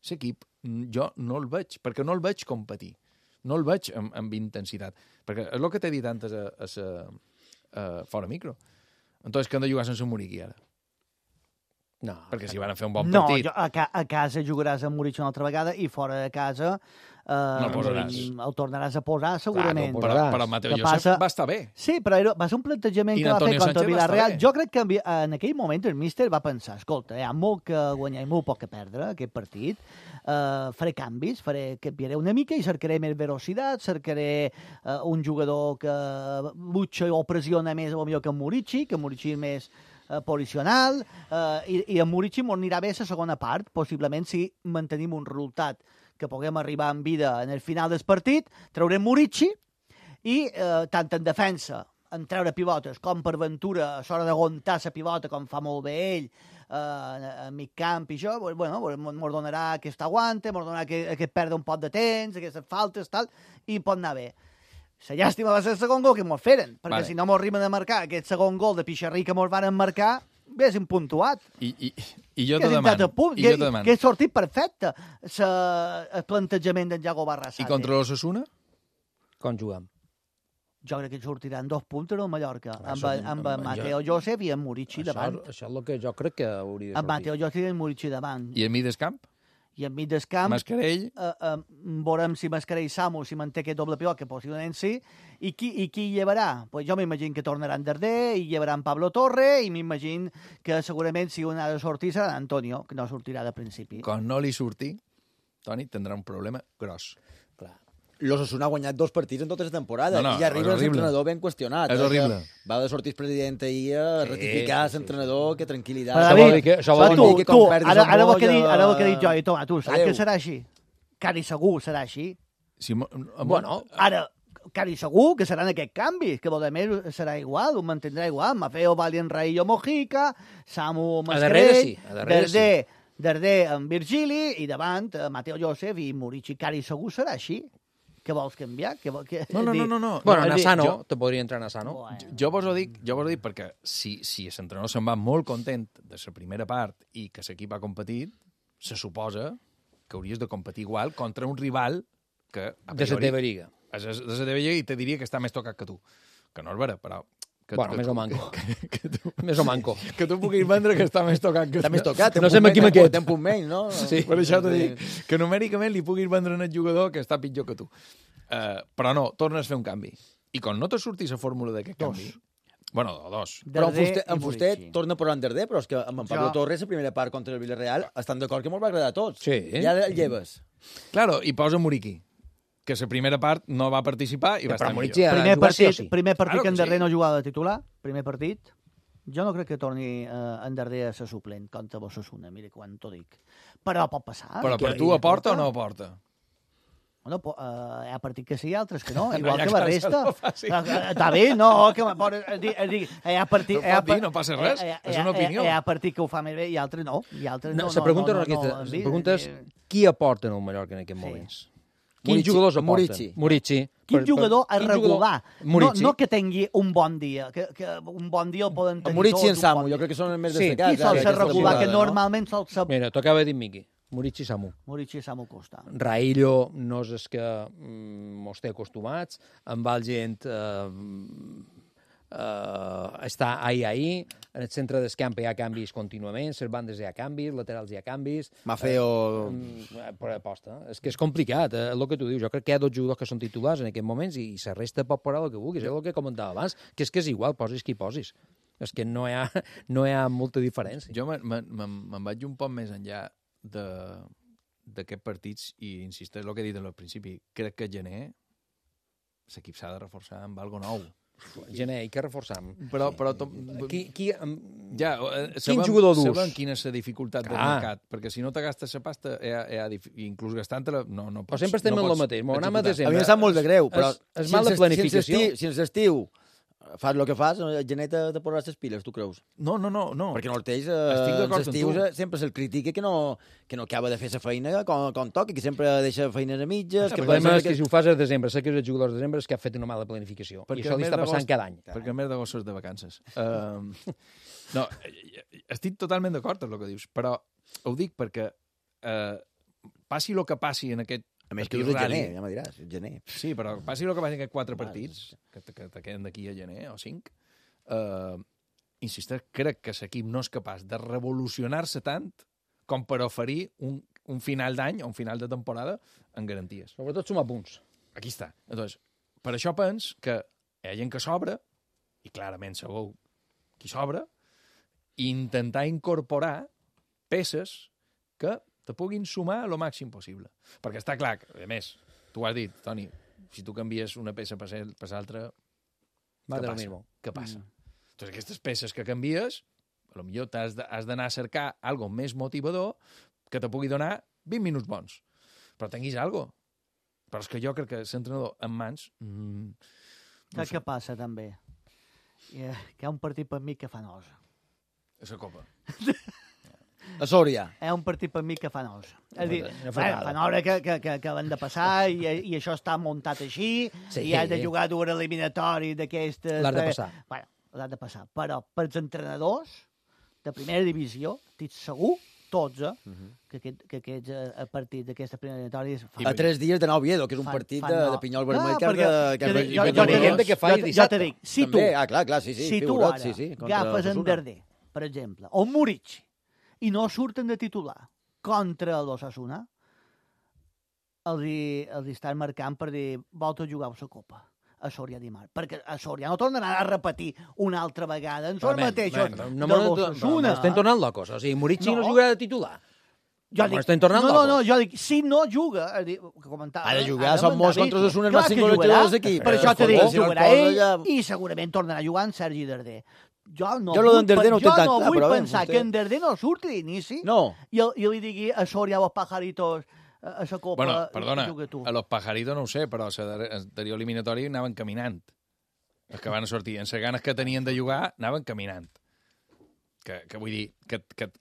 l'equip jo no el veig, perquè no el veig competir. No el veig amb intensitat. Perquè és el que t'he dit antes fora micro. Entonces, que han de jugar sense Muriqui ara? No. Perquè si van a fer un bon partit... No, a casa jugaràs amb Muriqui una altra vegada i fora de casa el tornaràs a posar segurament. Clar, però Mateo Josep va estar bé. Sí, però va ser un plantejament que va fer contra el Villarreal. Jo crec que en aquell moment el míster va pensar, escolta, hi ha molt que guanyar i molt poc que perdre aquest partit, faré canvis, canviaré una mica i cercaré més velocitat, cercaré un jugador que butxa o pressiona més potser que Muriqui és més posicional, i en Muriqui m'ho anirà bé la segona part, possiblement si mantenim un resultat que puguem arribar en vida en el final del partit, traurem Muriqui i tant en defensa, en treure pivotes, com per Ventura, a l'hora d'aguantar la pivota, com fa molt bé ell, a mig camp i això, bueno, mos donarà aquest aguante, mos donarà que perd un poc de temps, aquestes faltes, tal, i pot anar bé. La llàstima va ser el segon gol que mos feren, perquè si no mos arriben a marcar aquest segon gol de pixarrí que mos van marcar, haguéssim puntuat. I jo te demano. Que és sortit perfecte el plantejament d'en Iago Barrasate. I contra l'Osasuna? Com juguem? Jo crec que sortiran 2 punts en el Mallorca, amb Mateo Josep i en Muriqui davant. Això és el que jo crec que hauria de sortir. Amb Mateo Josep i en Muriqui davant. I en mig del camp? I en mig del camp... Mascarell? Veurem si Mascarell i Samu, si manté aquest doble pilot, que possiblement sí, i qui llevarà? Pues jo m'imagino que tornaran Darder, i llevaran Pablo Torre, i m'imagino que segurament si un ha de sortir serà Antonio, que no sortirà de principi. Quan no li surti, Toni tindrà un problema gros. Clar. L'Osasuna ha guanyat 2 partits en tota la temporada i arriba l'entrenador ben qüestionat. És horrible. Va de sortir el president ahir a ratificar l'entrenador, que tranquil·litat. Això vol dir que quan perdis el ara el que he dit jo, i tu saps que serà així? Cari segur serà així. Bueno, ara, cari segur que seran aquests canvis, que a més serà igual, ho mantindrà igual. Mafeo, Valien, Raillo, Mojica, Samu, Mascarell, Darder amb Virgili, i davant Mateo Josep i Muriqui. Cari segur serà així. Què vols canviar? No. Bueno, Nassano, te podria entrar Nassano. Jo vos ho dic perquè si l'entrenador se'n va molt content de la primera part i que l'equip ha competit, se suposa que hauries de competir igual contra un rival que... De la teva lliga. De la teva lliga, i te diria que està més tocat que tu. Que no és vera, però Bueno, més o manco. Més o manco. Que tu puguis vendre que està més tocat que... Està més tocat. No sé amb quin aquest. Té un punt menys, no? Sí, per això t'ho dic. Que numèricament li puguis vendre al jugador que està pitjor que tu. Però no, tornes a fer un canvi. I quan no te surtis la fórmula d'aquest canvi... Bueno, dos. Però en Fuster torna a posar en Darder, però és que amb en Pablo Torres, la primera part contra el Villarreal, estan d'acord que molt va agradar a tots. Sí. Ja el lleves. Claro, i posa Muriqui, que la primera part no va participar i va estar millor. Primer partit que en Darder no jugava de titular, primer partit. Jo no crec que torni en Darder a ser suplent contra Osasuna, mira quan t'ho dic. Però pot passar. Però per tu aporta o no aporta? Bueno, hi ha partits que sí i altres que no, igual que la resta. Està bé, no, que hi ha partit... No pot dir, no passa res, és una opinió. Hi ha partit que ho fa més bé i altres no. La pregunta és qui aporta en el Mallorca en aquests moments? Quins jugadors aporten? Murici. Quin jugador a regular? No que tingui un bon dia, que un bon dia el poden tenir tots. Murici i en Samu, jo crec que són els més destacats. Qui sol ser regular, que normalment sol ser... Mira, t'ho acaba de dir Miqui. Murici i Samu. Murici i Samu Costa. Raillo no és el que mos té acostumats. Amb el gent està ahí. En el centre del camp hi ha canvis contínuament, les bandes hi ha canvis, laterals hi ha canvis. Mafeo... Per aposta. És que és complicat, el que tu dius. Jo crec que hi ha dos jugadors que són titulars en aquests moments i la resta pot posar el que vulguis. És el que comentava abans, que és igual, posis qui posis. És que no hi ha molta diferència. Jo me'n vaig un poc més enllà d'aquests partits i insisteix el que he dit al principi. Crec que gener l'equip s'ha de reforçar amb algo nou. Gener, i què reforçam? Però quin jugador dus? Sabem quina és la dificultat del mercat, perquè si no te gastes la pasta, inclús gastant-la, no pots... Però sempre estem en el mateix. A mi em sap molt de greu, però és mal de planificació. Si ens estiu fas el que fas, el gener te posaràs les piles, tu creus? No. Perquè no el tens, els estius sempre se'l critica que no acaba de fer la feina com toca, que sempre deixa feines a mitges... El problema és que si ho fas a desembre, sé que els jugadors de desembre és que ha fet una mala planificació. I això li està passant cada any. Perquè a més d'agost és de vacances. No, estic totalment d'acord amb el que dius, però ho dic perquè passi el que passi en aquest... A més que dius el gener, ja me diràs, el gener. Sí, però passi el que passi en aquests 4 partits, que te queden d'aquí a gener, o 5, insisteix, crec que l'equip no és capaç de revolucionar-se tant com per oferir un final d'any o un final de temporada en garanties. Sobretot sumar punts. Aquí està. Entonces, per això pens que hi ha gent que sobra, i clarament segur qui sobra, i intentar incorporar peces que te puguin sumar el màxim possible. Perquè està clar, a més, tu has dit, Toni, si tu canvies una peça per l'altra, què passa? Entonces, aquestes peces que canvies, potser has d'anar a cercar algo més motivador que te pugui donar 20 minuts bons. Però tinguis algo. Però és que jo crec que l'entrenador en mans... Saps què passa, també? Que hi ha un partit per mi que fa nosa. És la Copa. A Sòria. Hi ha un partit per mi que fa nosa. És a dir, fa nosa que van de passar i això està muntat així, i has de jugar d'un eliminatori d'aquestes... L'has de passar. Bueno, l'has de passar. Però pels entrenadors de primera divisió, estic segur, tots, que aquests partits d'aquesta primera eliminatòria... A 3 dies d'anar a Oviedo, que és un partit de pinyol vermell Jo te dic, si tu ara agafes en Darder, per exemple, o Murici, i no surten de titular contra l'Osasuna, els estan marcant per dir volta a jugar a la Copa a Sòria dimarts, perquè a Sòria no tornaran a repetir una altra vegada en són mateixos de l'Osasuna. Estem tornant locos, o sigui, Murici no jugarà de titular. Jo dic, si no juga... Ha de jugar, són molts contra Osasuna, els 5 gols d'equip. Per això t'he dit, jugarà ell i segurament tornarà a jugar en Sergi Darder. Jo no vull pensar que en Darder no surti d'inici i li digui a Sòria als pajaritos a la Copa... Bueno, perdona, a los pajaritos no ho sé, però a l'anterior eliminatori anaven caminant. Els que van sortir, en les ganes que tenien de jugar, anaven caminant. Que vull dir... Que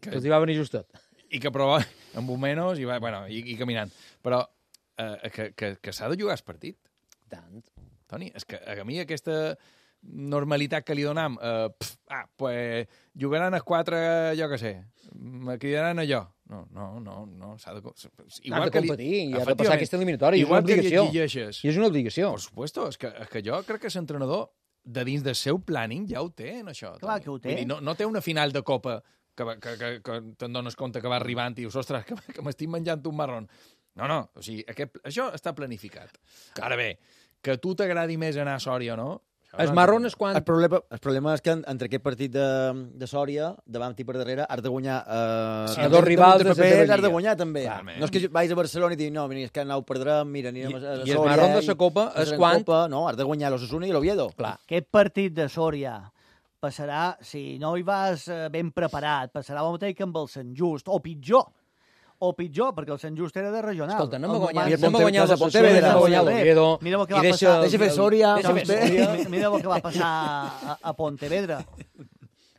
els hi va venir justet. I que prova amb un menys i caminant. Però que s'ha de jugar el partit. Tant. Toni, és que a mi aquesta normalitat que li donam, pues jugaran els 4, jo què sé, me cridaran allò. No, s'ha de... Igual que competir, i ha de passar aquesta eliminatòria, és una obligació. I és una obligació. Per supuesto, és que jo crec que l'entrenador de dins del seu planning ja ho té, això. Clar que ho té. Vull dir, no té una final de Copa que te'n dones compte que va arribant i dius, ostres, que m'estic menjant un marrón. No, o sigui, això està planificat. Ara bé, que a tu t'agradi més anar a Sòria o no... El marrón és quan... El problema és que entre aquest partit de Sòria, davant i per darrere, has de guanyar... a dos rivals de la teva lliga. Has de guanyar, també. Clarament. No és que vais a Barcelona i diguis, no, és que anau perdrem, mira, anirem a Sòria... I el marrón de la Copa és quan... No, has de guanyar l'Osasuna i l'Oviedo. Clar. Aquest partit de Sòria passarà, si no hi vas ben preparat, passarà el mateix que amb el Sant Just, o pitjor, perquè el Sant Just era de regional. Escolta, anem a guanyar Pontevedra, anem a guanyar l'Oviedo. Mira el que va passar. Deixa fer Sòria. Mira el que va passar a Pontevedra.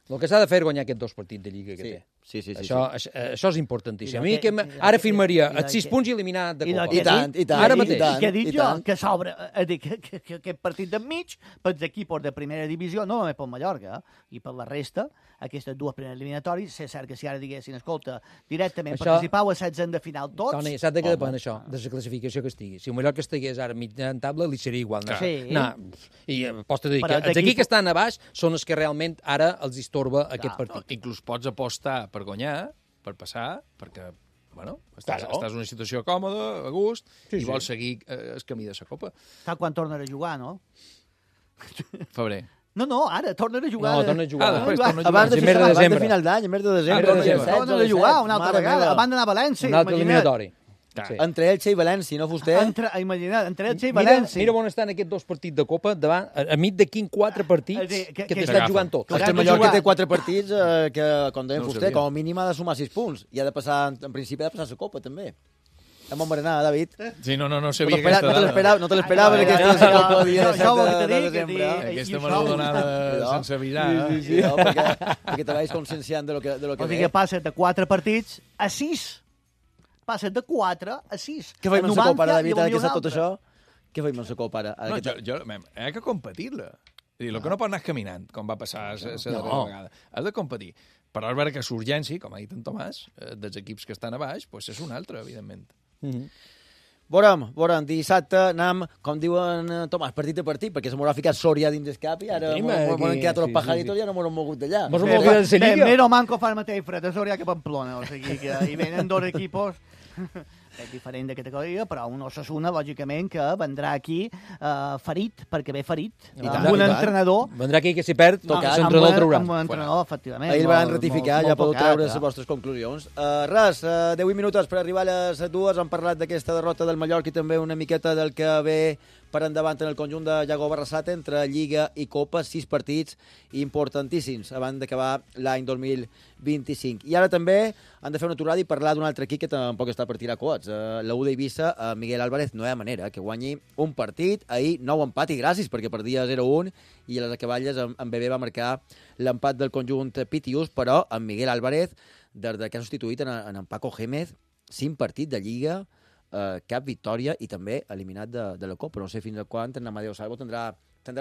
El que s'ha de fer és guanyar aquests dos partits de Lliga que té. Sí. Això és importantíssim. A mi ara firmaria els 6 punts i eliminar de Copa. I tant. Ara mateix. I què he dit jo? Que s'obre aquest partit d'enmig pels equips de primera divisió, no només pel Mallorca, i per la resta, aquestes dues primeres eliminatòries, és cert que si ara diguessin, escolta, directament participau a 16 de final tots... Toni, saps de què depèn això? De la classificació que estigui. Si el Mallorca estigués ara mitjan taula, li seria igual. I pots dir que els equips que estan a baix són els que realment ara els estorba aquest partit. Inclús pots apostar per guanyar, per passar, perquè estàs en una situació còmoda, a gust, i vols seguir el camí de la Copa. Saps quan tornarà a jugar, no? Febrer. No, ara, tornen a jugar. No, tornen a jugar. Després tornen a jugar. Abans de final d'any, a més de desembre. Tornen a jugar una altra vegada. Abans d'anar a València, un altre eliminatori. Sí. Entre Elche i València, no fuster? Imagina't, entre Elche i València. Mira on estan aquests dos partits de Copa, davant, a mig de quin 4 partits que t'estan jugant tots. El Mallorca té 4 partits que, com deia fuster, com a mínim ha de sumar 6 punts. I ha de passar, en principi, ha de passar la Copa, també. Hem berenar, David. Sí, no sabia aquesta dada. No te l'esperava, perquè aquesta Copa el dia 7 de desembre. Aquesta me l'heu donada sense avisar. Sí, perquè te vais conscienciant de lo que ve. O sigui que passa de 4 partits a 6. Passa de 4 a 6. Què faim amb la Copa, ara, David, ara que sap tot això? Què faim amb la Copa, ara? No, he de competir-la. El que no pot anar caminant, com va passar la darrera vegada. Has de competir. Però és vera que l'urgència, com ha dit en Tomàs, dels equips que estan a baix, és una altra, evidentment. Veurem, dissabte anem, com diuen Tomàs, partit a partit, perquè se m'haurà ficat Sòria dins d'escap i ara m'han quedat tots els pajaritos i ja no m'haurem mogut d'allà. Mero manco fa el mateix fred a Sòria que a Pamplona, o sigui que hi venen dos equipos és diferent de categoria, però un Osasuna, lògicament, que vendrà aquí ferit, perquè ve ferit, amb un entrenador... Vendrà aquí que si perd, l'entrenador el traurà. Amb un entrenador, efectivament. Ahir el van ratificar, ja podeu treure les vostres conclusions. Res, 10 minuts per arribar a les 2, hem parlat d'aquesta derrota del Mallorca i també una miqueta del que ve per endavant en el conjunt de Iago Barrasate entre Lliga i Copa, 6 partits importantíssims abans d'acabar l'any 2025. I ara també han de fer una aturada i parlar d'un altre equip que tampoc està per tirar coets. La U d'Eivissa, Miguel Álvarez, no hi ha manera que guanyi un partit. Ahir nou empat i gràcies, perquè perdia 0-1 i a les acaballes en Bebé va marcar l'empat del conjunt Pitius, però en Miguel Álvarez, des que ha substituït en Paco Gémez, 5 partits de Lliga, cap victòria i també eliminat de la Copa. No sé fins a quan en Amadeu Salvo tindrà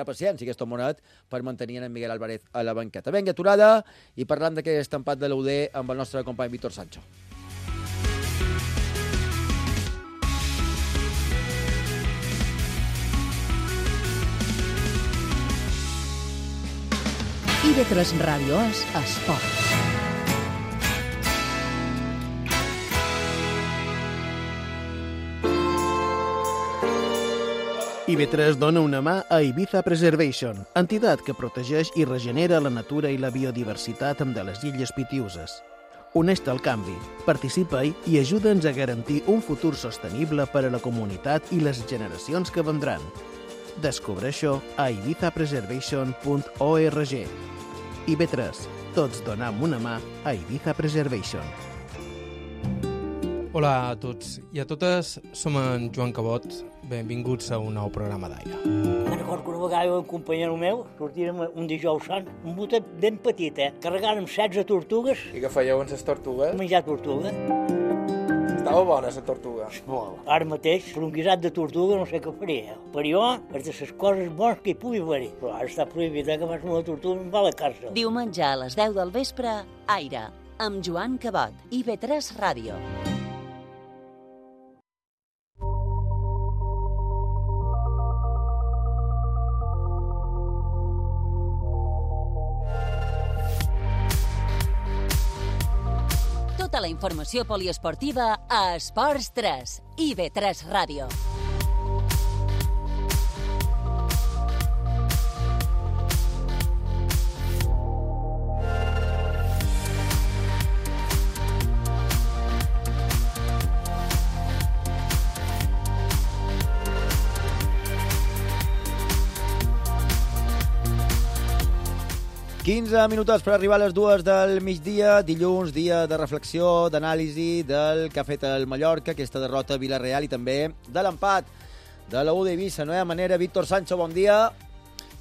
paciència aquest homonat per mantenir en Miguel Álvarez a la banqueta. Vinga, aturada i parlant d'aquest empat de l'UD amb el nostre company Víctor Sancho. IB3 Ràdio és esport. IB3 dona una mà a Ibiza Preservation, entitat que protegeix i regenera la natura i la biodiversitat de les illes Pitiuses. Uneix-te al canvi, participa-hi i ajuda'ns a garantir un futur sostenible per a la comunitat i les generacions que vendran. Descobreix-ho a ibizapreservation.org. IB3, tots donem una mà a Ibiza Preservation. Hola a tots i a totes, som en Joan Cabot, benvinguts a un nou programa d'aire. Me'n recordo que una vegada un companyero meu sortírem un dijous sant, un botet ben petit, carregàrem 16 tortugues. I què fèieu amb les tortugues? Menjar tortuga. Estava bona la tortuga? Molt. Ara mateix, per un guisat de tortuga no sé què faria. Per jo, és de les coses bones que hi pugui haver-hi. Però ara està prohibit que fas una tortuga i em va a la càrcel. Diumenge a les 10 del vespre, Aire, amb Joan Cabot, IB3 Ràdio. Tota la informació poliesportiva a Esports 3, IB3 Ràdio. «15 minuts per arribar a les 2 del migdia, dilluns, dia de reflexió, d'anàlisi del que ha fet el Mallorca, aquesta derrota a Vila-real i també de l'empat de la U d'Eivissa. No hi ha manera, Víctor Sancho, bon dia.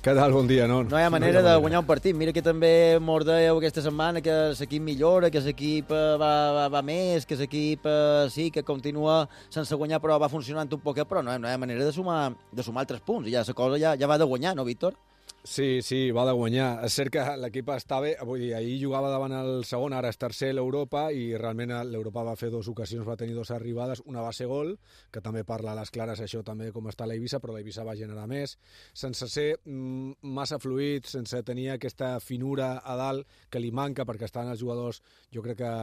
Què tal? Bon dia, no? No hi ha manera de guanyar un partit. Mira que també mos dèieu aquesta setmana que l'equip millora, que l'equip va més, que l'equip sí, que continua sense guanyar, però va funcionant un poquet, però no hi ha manera de sumar altres punts. I ja la cosa ja va de guanyar, no, Víctor? Sí, va de guanyar. És cert que l'equip està bé. Vull dir, ahir jugava davant el segon, ara és tercer l'Europa, i realment l'Europa va fer 2 ocasions, va tenir 2 arribades, una va ser gol, que també parla a les clares això també com està l'Eivissa, però l'Eivissa va generar més, sense ser massa fluid, sense tenir aquesta finura a dalt que li manca, perquè estan els jugadors, jo crec que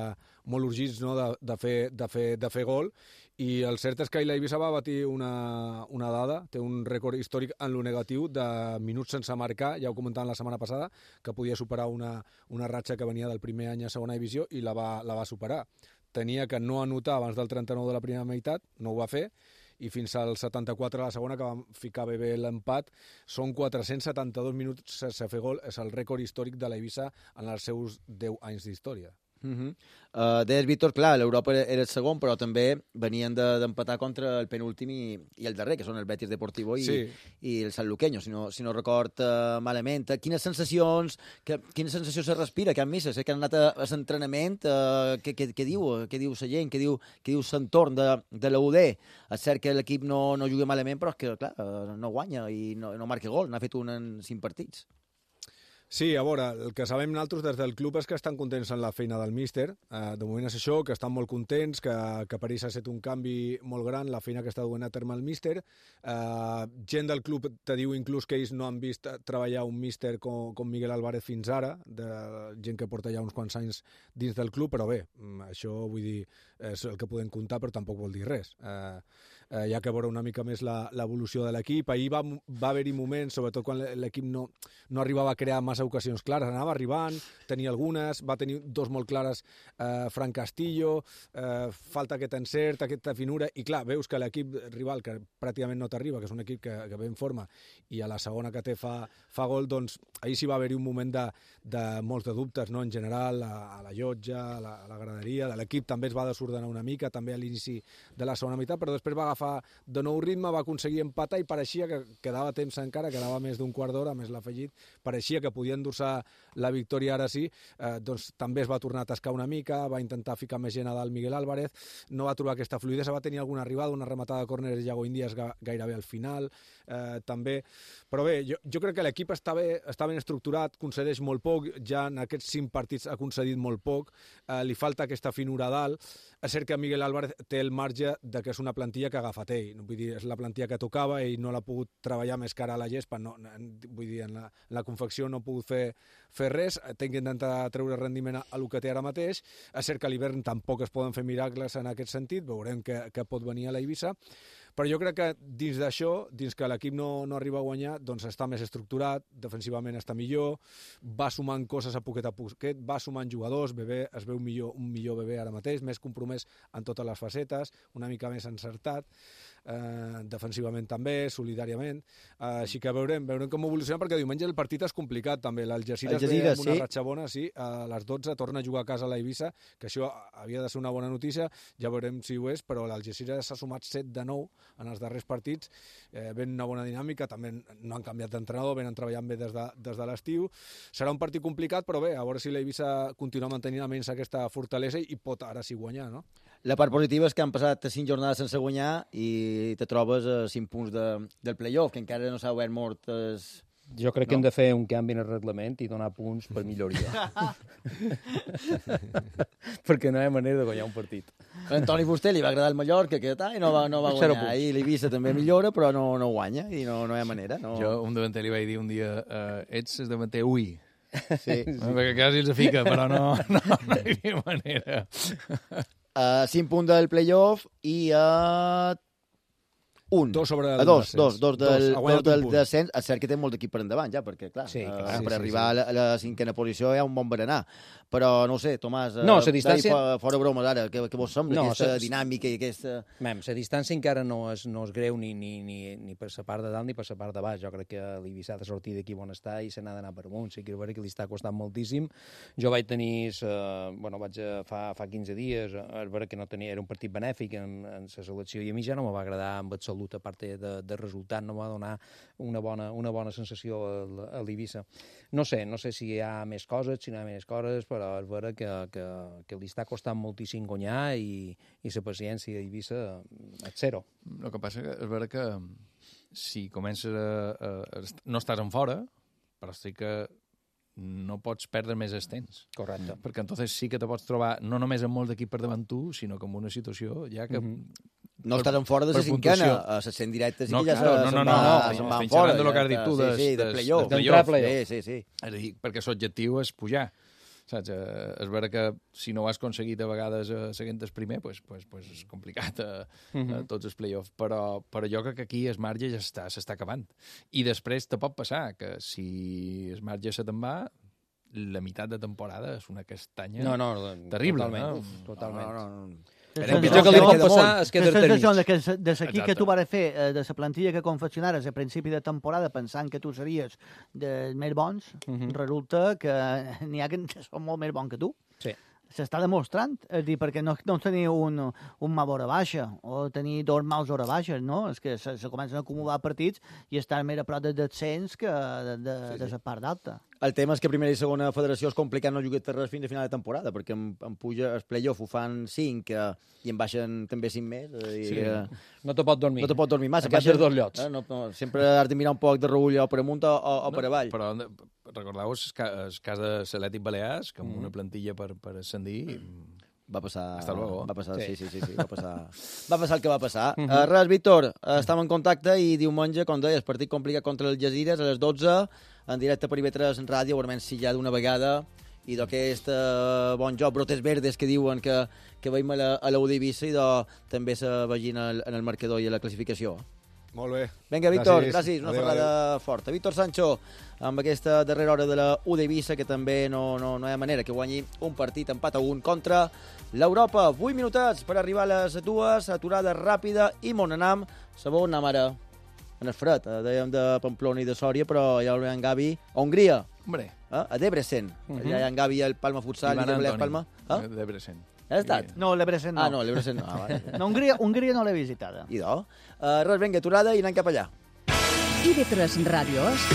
molt urgits, no?, de fer gol. I el cert és que l'Eivissa va batir una dada, té un rècord històric en lo negatiu de minuts sense marcar, ja ho comentàvem la setmana passada, que podia superar una ratxa que venia del primer any a segona divisió i la va superar. Tenia que no anotar abans del 39 de la primera meitat, no ho va fer, i fins al 74 a la segona, que vam ficar bé l'empat, són 472 minuts sense fer gol, és el rècord històric de l'Eivissa en els seus 10 anys d'història. Deies, Víctor, clar, l'Europa era el segon, però també venien d'empatar contra el penúltim i el darrer, que són el Betis Deportivo i el San Luqueño, si no record malament. Quines sensacions se respira, que han vist? Que han anat a l'entrenament, què diu la gent, què diu l'entorn de la UD? És cert que l'equip no juga malament, però és que, clar, no guanya i no marca gol, n'ha fet un en 5 partits. Sí, a veure, el que sabem nosaltres des del club és que estan contents en la feina del míster. De moment és això, que estan molt contents, que per ells ha estat un canvi molt gran, la feina que està duent a terme el míster. Gent del club te diu inclús que ells no han vist treballar un míster com Miguel Álvarez fins ara, de gent que porta ja uns quants anys dins del club, però bé, això vull dir, és el que podem comptar, però tampoc vol dir res. Hi ha que veure una mica més l'evolució de l'equip. Ahir va haver-hi moments, sobretot quan l'equip no arribava a crear massa ocasions clares, anava arribant, tenia algunes, va tenir 2 molt clares, Fran Castillo, falta aquest encert, aquesta finura, i clar, veus que l'equip rival, que pràcticament no t'arriba, que és un equip que ve en forma, i a la segona que té fa gol, doncs ahir sí va haver-hi un moment de molts de dubtes, no?, en general, a la llotja, a la graderia, de l'equip també es va desordenar una mica, també a l'inici de la segona meitat, però després va agafar de nou ritme, va aconseguir empatar i pareixia que quedava temps encara, quedava més d'un quart d'hora, més l'afegit, pareixia que podia endur-se la victòria ara sí, doncs també es va tornar a tascar una mica, va intentar ficar més gent a dalt Miguel Álvarez, no va trobar aquesta fluidesa, va tenir alguna arribada, una rematada de córner de Iago Índies gairebé al final, també, però bé, jo crec que l'equip està ben estructurat, concedeix molt poc, ja en aquests 5 partits ha concedit molt poc, li falta aquesta finura a dalt. És cert que Miguel Álvarez té el marge de que és una plantilla que ha agafat ell, vull dir, és la plantilla que tocava, ell no l'ha pogut treballar més cara a la gespa, vull dir, en la confecció no ha pogut fer res, té que intentar treure rendiment a lo que té ara mateix. És cert que a l'hivern tampoc es poden fer miracles en aquest sentit, veurem què pot venir a l'Eivissa, però jo crec que dins d'això, dins que l'equip no arriba a guanyar, doncs està més estructurat, defensivament està millor, va sumant coses a poquet, va sumant jugadors, Bebé es veu un millor Bebé ara mateix, més compromès en totes les facetes, una mica més encertat, defensivament també, solidàriament, així que veurem com evoluciona, perquè diumenge el partit és complicat també, l'Algeciras ve amb una ratxa bona, sí, a les 12 torna a jugar a casa a l'Eivissa, que això havia de ser una bona notícia, ja veurem si ho és, però l'Algeciras s'ha sumat 7 de 9 en els darrers partits, ven una bona dinàmica, també no han canviat d'entrenador, venen treballant bé des de l'estiu, serà un partit complicat, però bé, a veure si l'Eivissa continua mantenint almenys aquesta fortalesa i pot ara sí guanyar, no? La part positiva és que han passat 5 jornades sense guanyar i te trobes a 5 punts del play-off, que encara no s'ha obert mort. Jo crec que hem de fer un canvi en el reglament i donar punts per milloria. Perquè no hi ha manera de guanyar un partit. A Antoni Fuster li va agradar el Mallorca, que no va guanyar. I l'Eivissa també millora, però no guanya i no hi ha manera. Jo un davanter li vaig dir un dia, ets el davanter ui. Sí. Perquè quasi els fica, però no hi havia manera. 5 punts del playoff i a... Dos sobre el descens. Dos del descens. És cert que té molt d'equip per endavant, ja, perquè, clar, per arribar a la 5a posició hi ha un bon berenar. Però, no ho sé, Tomàs, la distància... fora bromes ara, què vos sembla, aquesta dinàmica i aquesta... La distància encara no és greu ni per la part de dalt ni per la part de baix. Jo crec que l'Eivissa ha de sortir d'aquí on està i se n'ha d'anar per amunt. Sí que que li està costant moltíssim. Jo vaig tenir, fa 15 dies, és vera que no tenia, era un partit benèfic en la selecció i a mi ja no me va agradar en absolut, a part de resultat, no va donar una bona sensació a l'Eivissa. No sé si hi ha més coses, si no hi ha més coses, però és vera que li està costant moltíssim guanyar i la paciència d'Eivissa és zero. El que passa és vera que si comences no estàs en fora, però sí que no pots perdre més el temps. Correcte. Perquè entonces sí que te pots trobar no només amb molt d'equip per davant tu, sinó que en una situació ja que... No estàs en fora de la cinquena, a les 100 directes i que ja se'n van fora. No, que has dit tu, de playoff. Sí. És a dir, perquè l'objectiu és pujar. Saps? És vera que si no ho has aconseguit a vegades seguint el primer, pues és complicat a tots els play-offs, però jo crec que aquí el marge ja s'està acabant. I després te pot passar que si el marge se te'n va, la meitat de temporada és una castanya terrible. Totalment. El pitjor que li pot passar és que la sensació de l'equip que tu vas fer, de la plantilla que confeccionares a principi de temporada pensant que tu series dels més bons, resulta que n'hi ha que són molt més bons que tu. Sí. S'està demostrant, és dir, perquè no tenir un mal hora baixa o tenir dos mals hora baixes, no? És que se comencen a acumular partits i estan més a prop de descens que de la part d'alta. El tema és que primera i segona federació és complicat no jugar res fins a final de temporada, perquè en puja el playoff ho fan 5 i en baixen també 5 més. No te pot dormir. No te pot dormir massa. En baixes dos llocs. Sempre has de mirar un poc de reull o per amunt o per avall. Però recordeu el cas de l'Atlètic Balears, que amb una plantilla per ascendir... Va passar... Hasta luego. Va passar, sí. Va passar el que va passar. Res, Víctor, estem en contacte i diumenge, com deies, partit complicat contra el Gesires a les 12, en directe per IB3 Ràdio, veurem si ja d'una vegada i d'aquest bon joc, brotes verdes que diuen que veiem a la Eivissa i també se vegin en el marcador i a la classificació. Molt bé. Vinga, Víctor, gràcies. Una ferrada forta. Víctor Sancho, amb aquesta darrera hora de la Eivissa, que també no hi ha manera que guanyi un partit empat a 1 contra l'Europa. 8 minutets per arribar a les 2, aturada ràpida i Monanam. Sabó on anam ara? En el fred, dèiem de Pamplona i de Sòria, però ja ho veiem Gavi. A Hongria. Hombre. A Debrecen. Allà hi ha en Gavi al Palma Futsal i també Palma. Debrecen. Has estat? No, l'Ebrecen no. Ah, no, l'Ebrecen no. No, Hongria no l'he visitada. I do? Res, vinga, aturada i anem cap allà. IB3 Ràdio és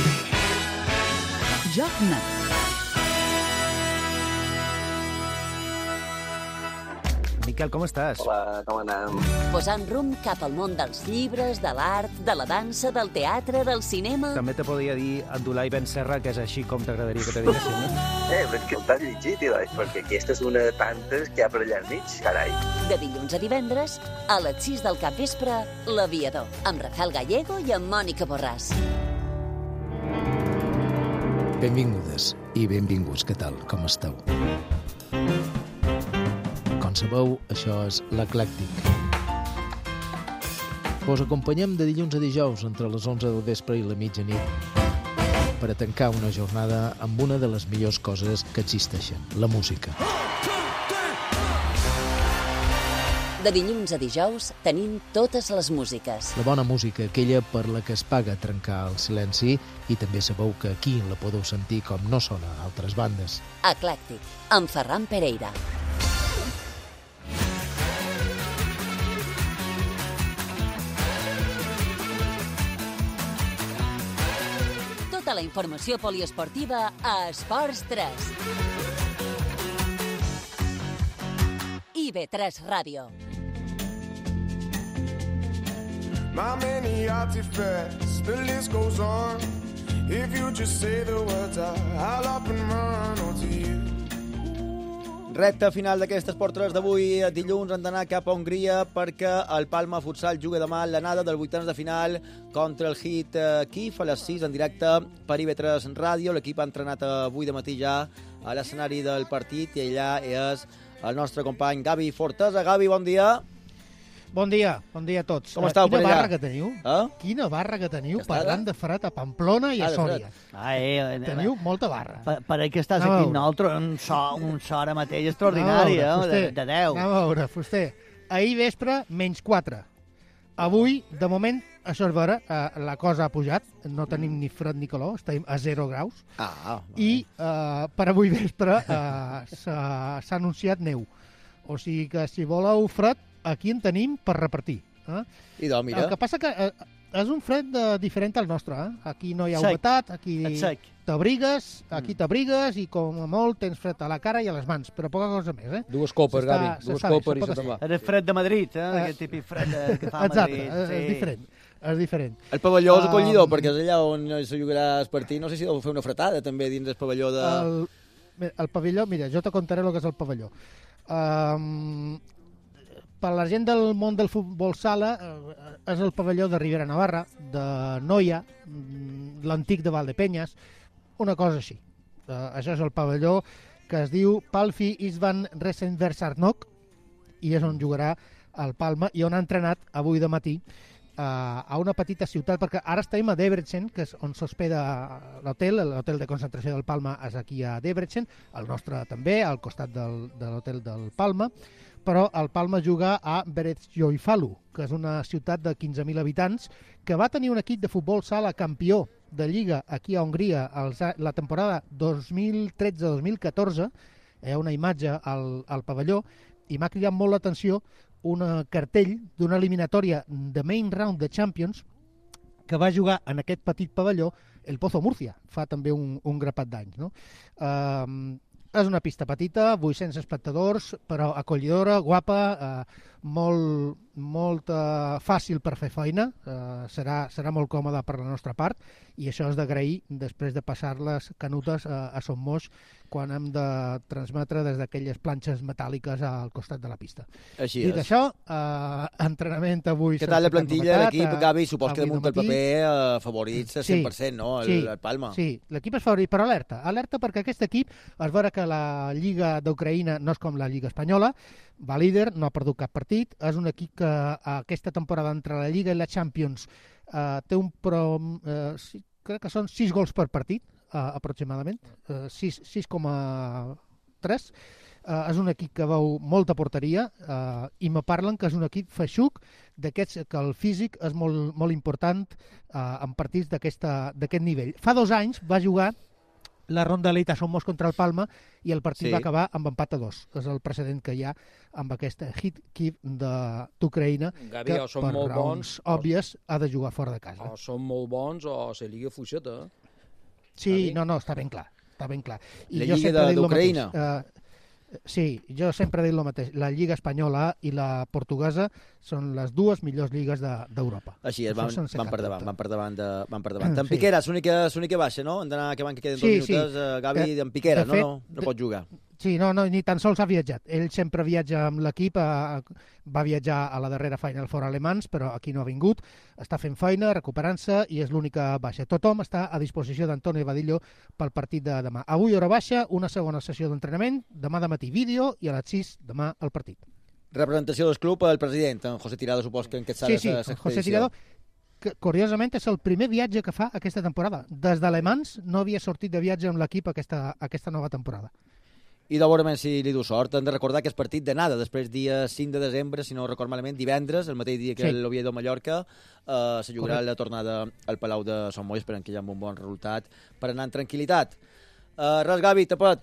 Joc Net. Miquel, com estàs? Hola, com anem? Posant rumb cap al món dels llibres, de l'art, de la dansa, del teatre, del cinema... També te podia dir Abdulai Ben Serra, que és així com t'agradaria que te diguessin, no? Però és que t'has llegit, perquè aquesta és una de tantes que hi ha per allà al mig, carai. De dilluns a divendres, a les 6 del capvespre, L'Aviador, amb Rafael Gallego i amb Mònica Borràs. Benvingudes i benvinguts, què tal, com esteu? Com sabeu, això és l'Eclèctic. Us acompanyem de dilluns a dijous entre les 11 del vespre i la mitjanit per a tancar una jornada amb una de les millors coses que existeixen, la música. De dilluns a dijous tenim totes les músiques. La bona música, aquella per la que es paga trencar el silenci, i també sabeu que aquí la podeu sentir com no sona a altres bandes. Eclèctic, amb Ferran Pereira. Tota la informació poliesportiva a Esports 3. IB3 Ràdio. My many artifacts, the list goes on. If you just say the words, I'll up and run onto you. Recte final d'aquest Esport 3 d'avui. Dilluns hem d'anar cap a Hongria perquè el Palma Futsal juga demà l'anada del vuitens de final contra el Hit Kiev a les 6 en directe per IB3 Ràdio. L'equip ha entrenat avui de matí ja a l'escenari del partit i allà és el nostre company Gavi Fortesa. Gavi, bon dia. Bon dia a tots. Com estàu per allà? Quina barra que teniu? Quina barra que teniu parlant de fred a Pamplona i a Sòria. Teniu molta barra. Per que estàs aquí amb nosaltres, un so ara mateix extraordinari, de 10. Anem a veure, Fuster. Ahir vespre, -4. Avui, de moment, això és vera, la cosa ha pujat, no tenim ni fred ni calor, estem a 0 graus. I per avui vespre s'ha anunciat neu. O sigui que si voleu fred, aquí en tenim per repartir. I doncs, mira. El que passa que és un fred diferent al nostre. Aquí no hi ha humitat, aquí t'abrigues i com a molt tens fred a la cara i a les mans, però poca cosa més. Dues copes, Gavi, dues copes i se te'n va. És fred de Madrid, aquest típic fred que fa a Madrid. Exacte, és diferent. El pavelló és acollidor, perquè és allà on se jugarà el partit. No sé si deu fer una fretada també dins del pavelló de... El pavelló, mira, jo te contaré el que és el pavelló. Per la gent del món del futbol sala, és el pavelló de Ribera Navarra, de Noia, l'antic de Valdepenyes, una cosa així. Això és el pavelló que es diu Palfi Isvan Resenversarnok i és on jugarà el Palma i on ha entrenat avui de matí a una petita ciutat, perquè ara estem a Debrecen, que és on s'hospeda l'hotel de concentració del Palma és aquí a Debrecen, el nostre també, al costat de l'hotel del Palma, però el Palma juga a Beretjoifalu, que és una ciutat de 15.000 habitants, que va tenir un equip de futbol sala campió de Lliga aquí a Hongria la temporada 2013-2014. Hi ha una imatge al pavelló i m'ha cridat molt l'atenció un cartell d'una eliminatòria de Main Round de Champions que va jugar en aquest petit pavelló el Pozo Murcia, fa també un grapat d'anys. No? És una pista petita, 800 espectadors, però acollidora, guapa, molt fàcil per fer feina, serà molt còmoda per la nostra part, i això és d'agrair després de passar les canutes a Son Moix quan hem de transmetre des d'aquelles planxes metàl·liques al costat de la pista. Així Dit això, entrenament avui... Què tal la plantilla, l'equip, Gavi? Supos que damunt el paper favorits 100%, no? El Palma. Sí, l'equip és favorit, però alerta perquè aquest equip es veurà que la Lliga d'Ucraïna no és com la Lliga espanyola, va líder, no ha perdut cap partit, és un equip que aquesta temporada entre la Lliga i la Champions té crec que són 6 gols per partit, aproximadament, 6,3. És un equip que veu molta porteria i me parlen que és un equip feixuc d'aquests que el físic és molt important en partits d'aquest nivell. Fa 2 anys va jugar la ronda d'elit a Son Moix contra el Palma i el partit va acabar amb empat a 2. És el precedent que hi ha amb aquest Hit Kiev d'Ucraïna que per raons òbvies ha de jugar fora de casa. O són molt bons o se lliga fluixeta. Sí, no, està ben clar. I la Lliga d'Ucraïna? Sí, jo sempre he dit el mateix. La Lliga espanyola i la portuguesa són les 2 millors lligues d'Europa. Així és, van per davant. En Piqueras, l'única baixa, no? Han d'anar que queden 2 minuts. Gavi, en Piqueras, no pot jugar. Sí, no, ni tan sols ha viatjat. Ell sempre viatja amb l'equip, va viatjar a la darrera Final Four alemans, però aquí no ha vingut. Està fent feina, recuperant-se, i és l'única baixa. Tothom està a disposició d'Antonio Vadillo pel partit de demà. Avui hora baixa, una segona sessió d'entrenament, demà de matí vídeo, i a les 6 demà el partit. Representació del club, el president, en José Tirado, supos que en aquest sala Sí, José Tirado, que curiosament és el primer viatge que fa aquesta temporada. Des d'Alemans no havia sortit de viatge amb l'equip aquesta nova temporada. I de veure si li du sort. Hem de recordar que és partit d'anada, després dia 5 de desembre, si no record malament, divendres, el mateix dia que l'Oviedo Mallorca, se jugarà la tornada al Palau de Son Moix, esperant que hi ha un bon resultat per anar en tranquil·litat. Res, Gavi, tapa't.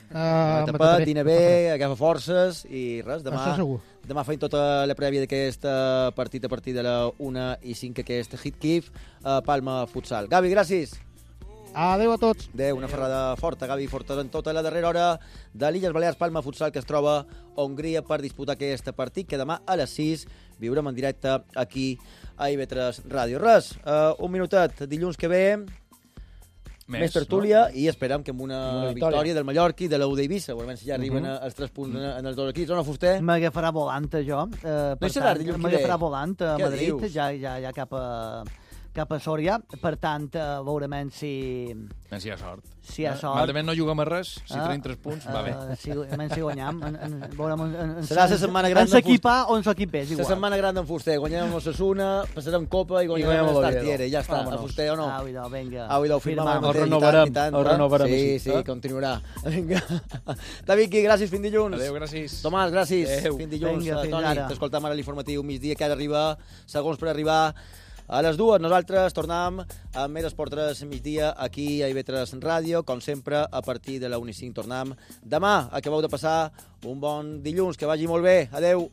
Tapa't, dina bé, agafa forces i res, demà feim tota la prèvia d'aquest partit a partir de la 1:05, aquest Hit Kiev, Palma Futsal. Gavi, gràcies. Adéu a tots. Adéu, una ferrada forta, Gavi Fortesa, en tota la darrera hora de l'Illes Balears Palma Futsal, que es troba a Hongria per disputar aquest partit, que demà a les 6 viurem en directe aquí a IB3 Ràdio. Res, un minutet, dilluns que ve més tertúlia, i esperem que amb una victòria del Mallorca i de l'U d'Eivissa. Veurem si ja arriben els 3 punts en els dos equips. O no, Fuster? M'agafarà volant, jo. No serà dilluns que ve? M'agafarà volant a Madrid, ja cap a Sòria. Per tant, veurem si hi ha sort. Si hi ha sort. Malament no juguem a res, si tenim 3 punts, va bé. Si guanyam. Serà la setmana gran d'en Fuster. Ens equip A o ens equip B, és igual. La setmana gran d'en Fuster. Guanyem amb Osasuna, passarem Copa i guanyem amb l'Estartiere. Ja està, a Fuster o no? Au, vinga. Au, firmam. El renovarem. Sí, continuarà. Vinga. David, gràcies, fins dilluns. Adéu, gràcies. Tomàs, gràcies. Fins dilluns. Toni, t'escoltam ara l'informatiu migdia que ha d'arribar, segons per arribar a les 2. Nosaltres tornem amb més Esport 3 migdia aquí a IB3 Ràdio. Com sempre, a partir de la 1:05 tornem. Demà acabeu de passar un bon dilluns, que vagi molt bé. Adeu.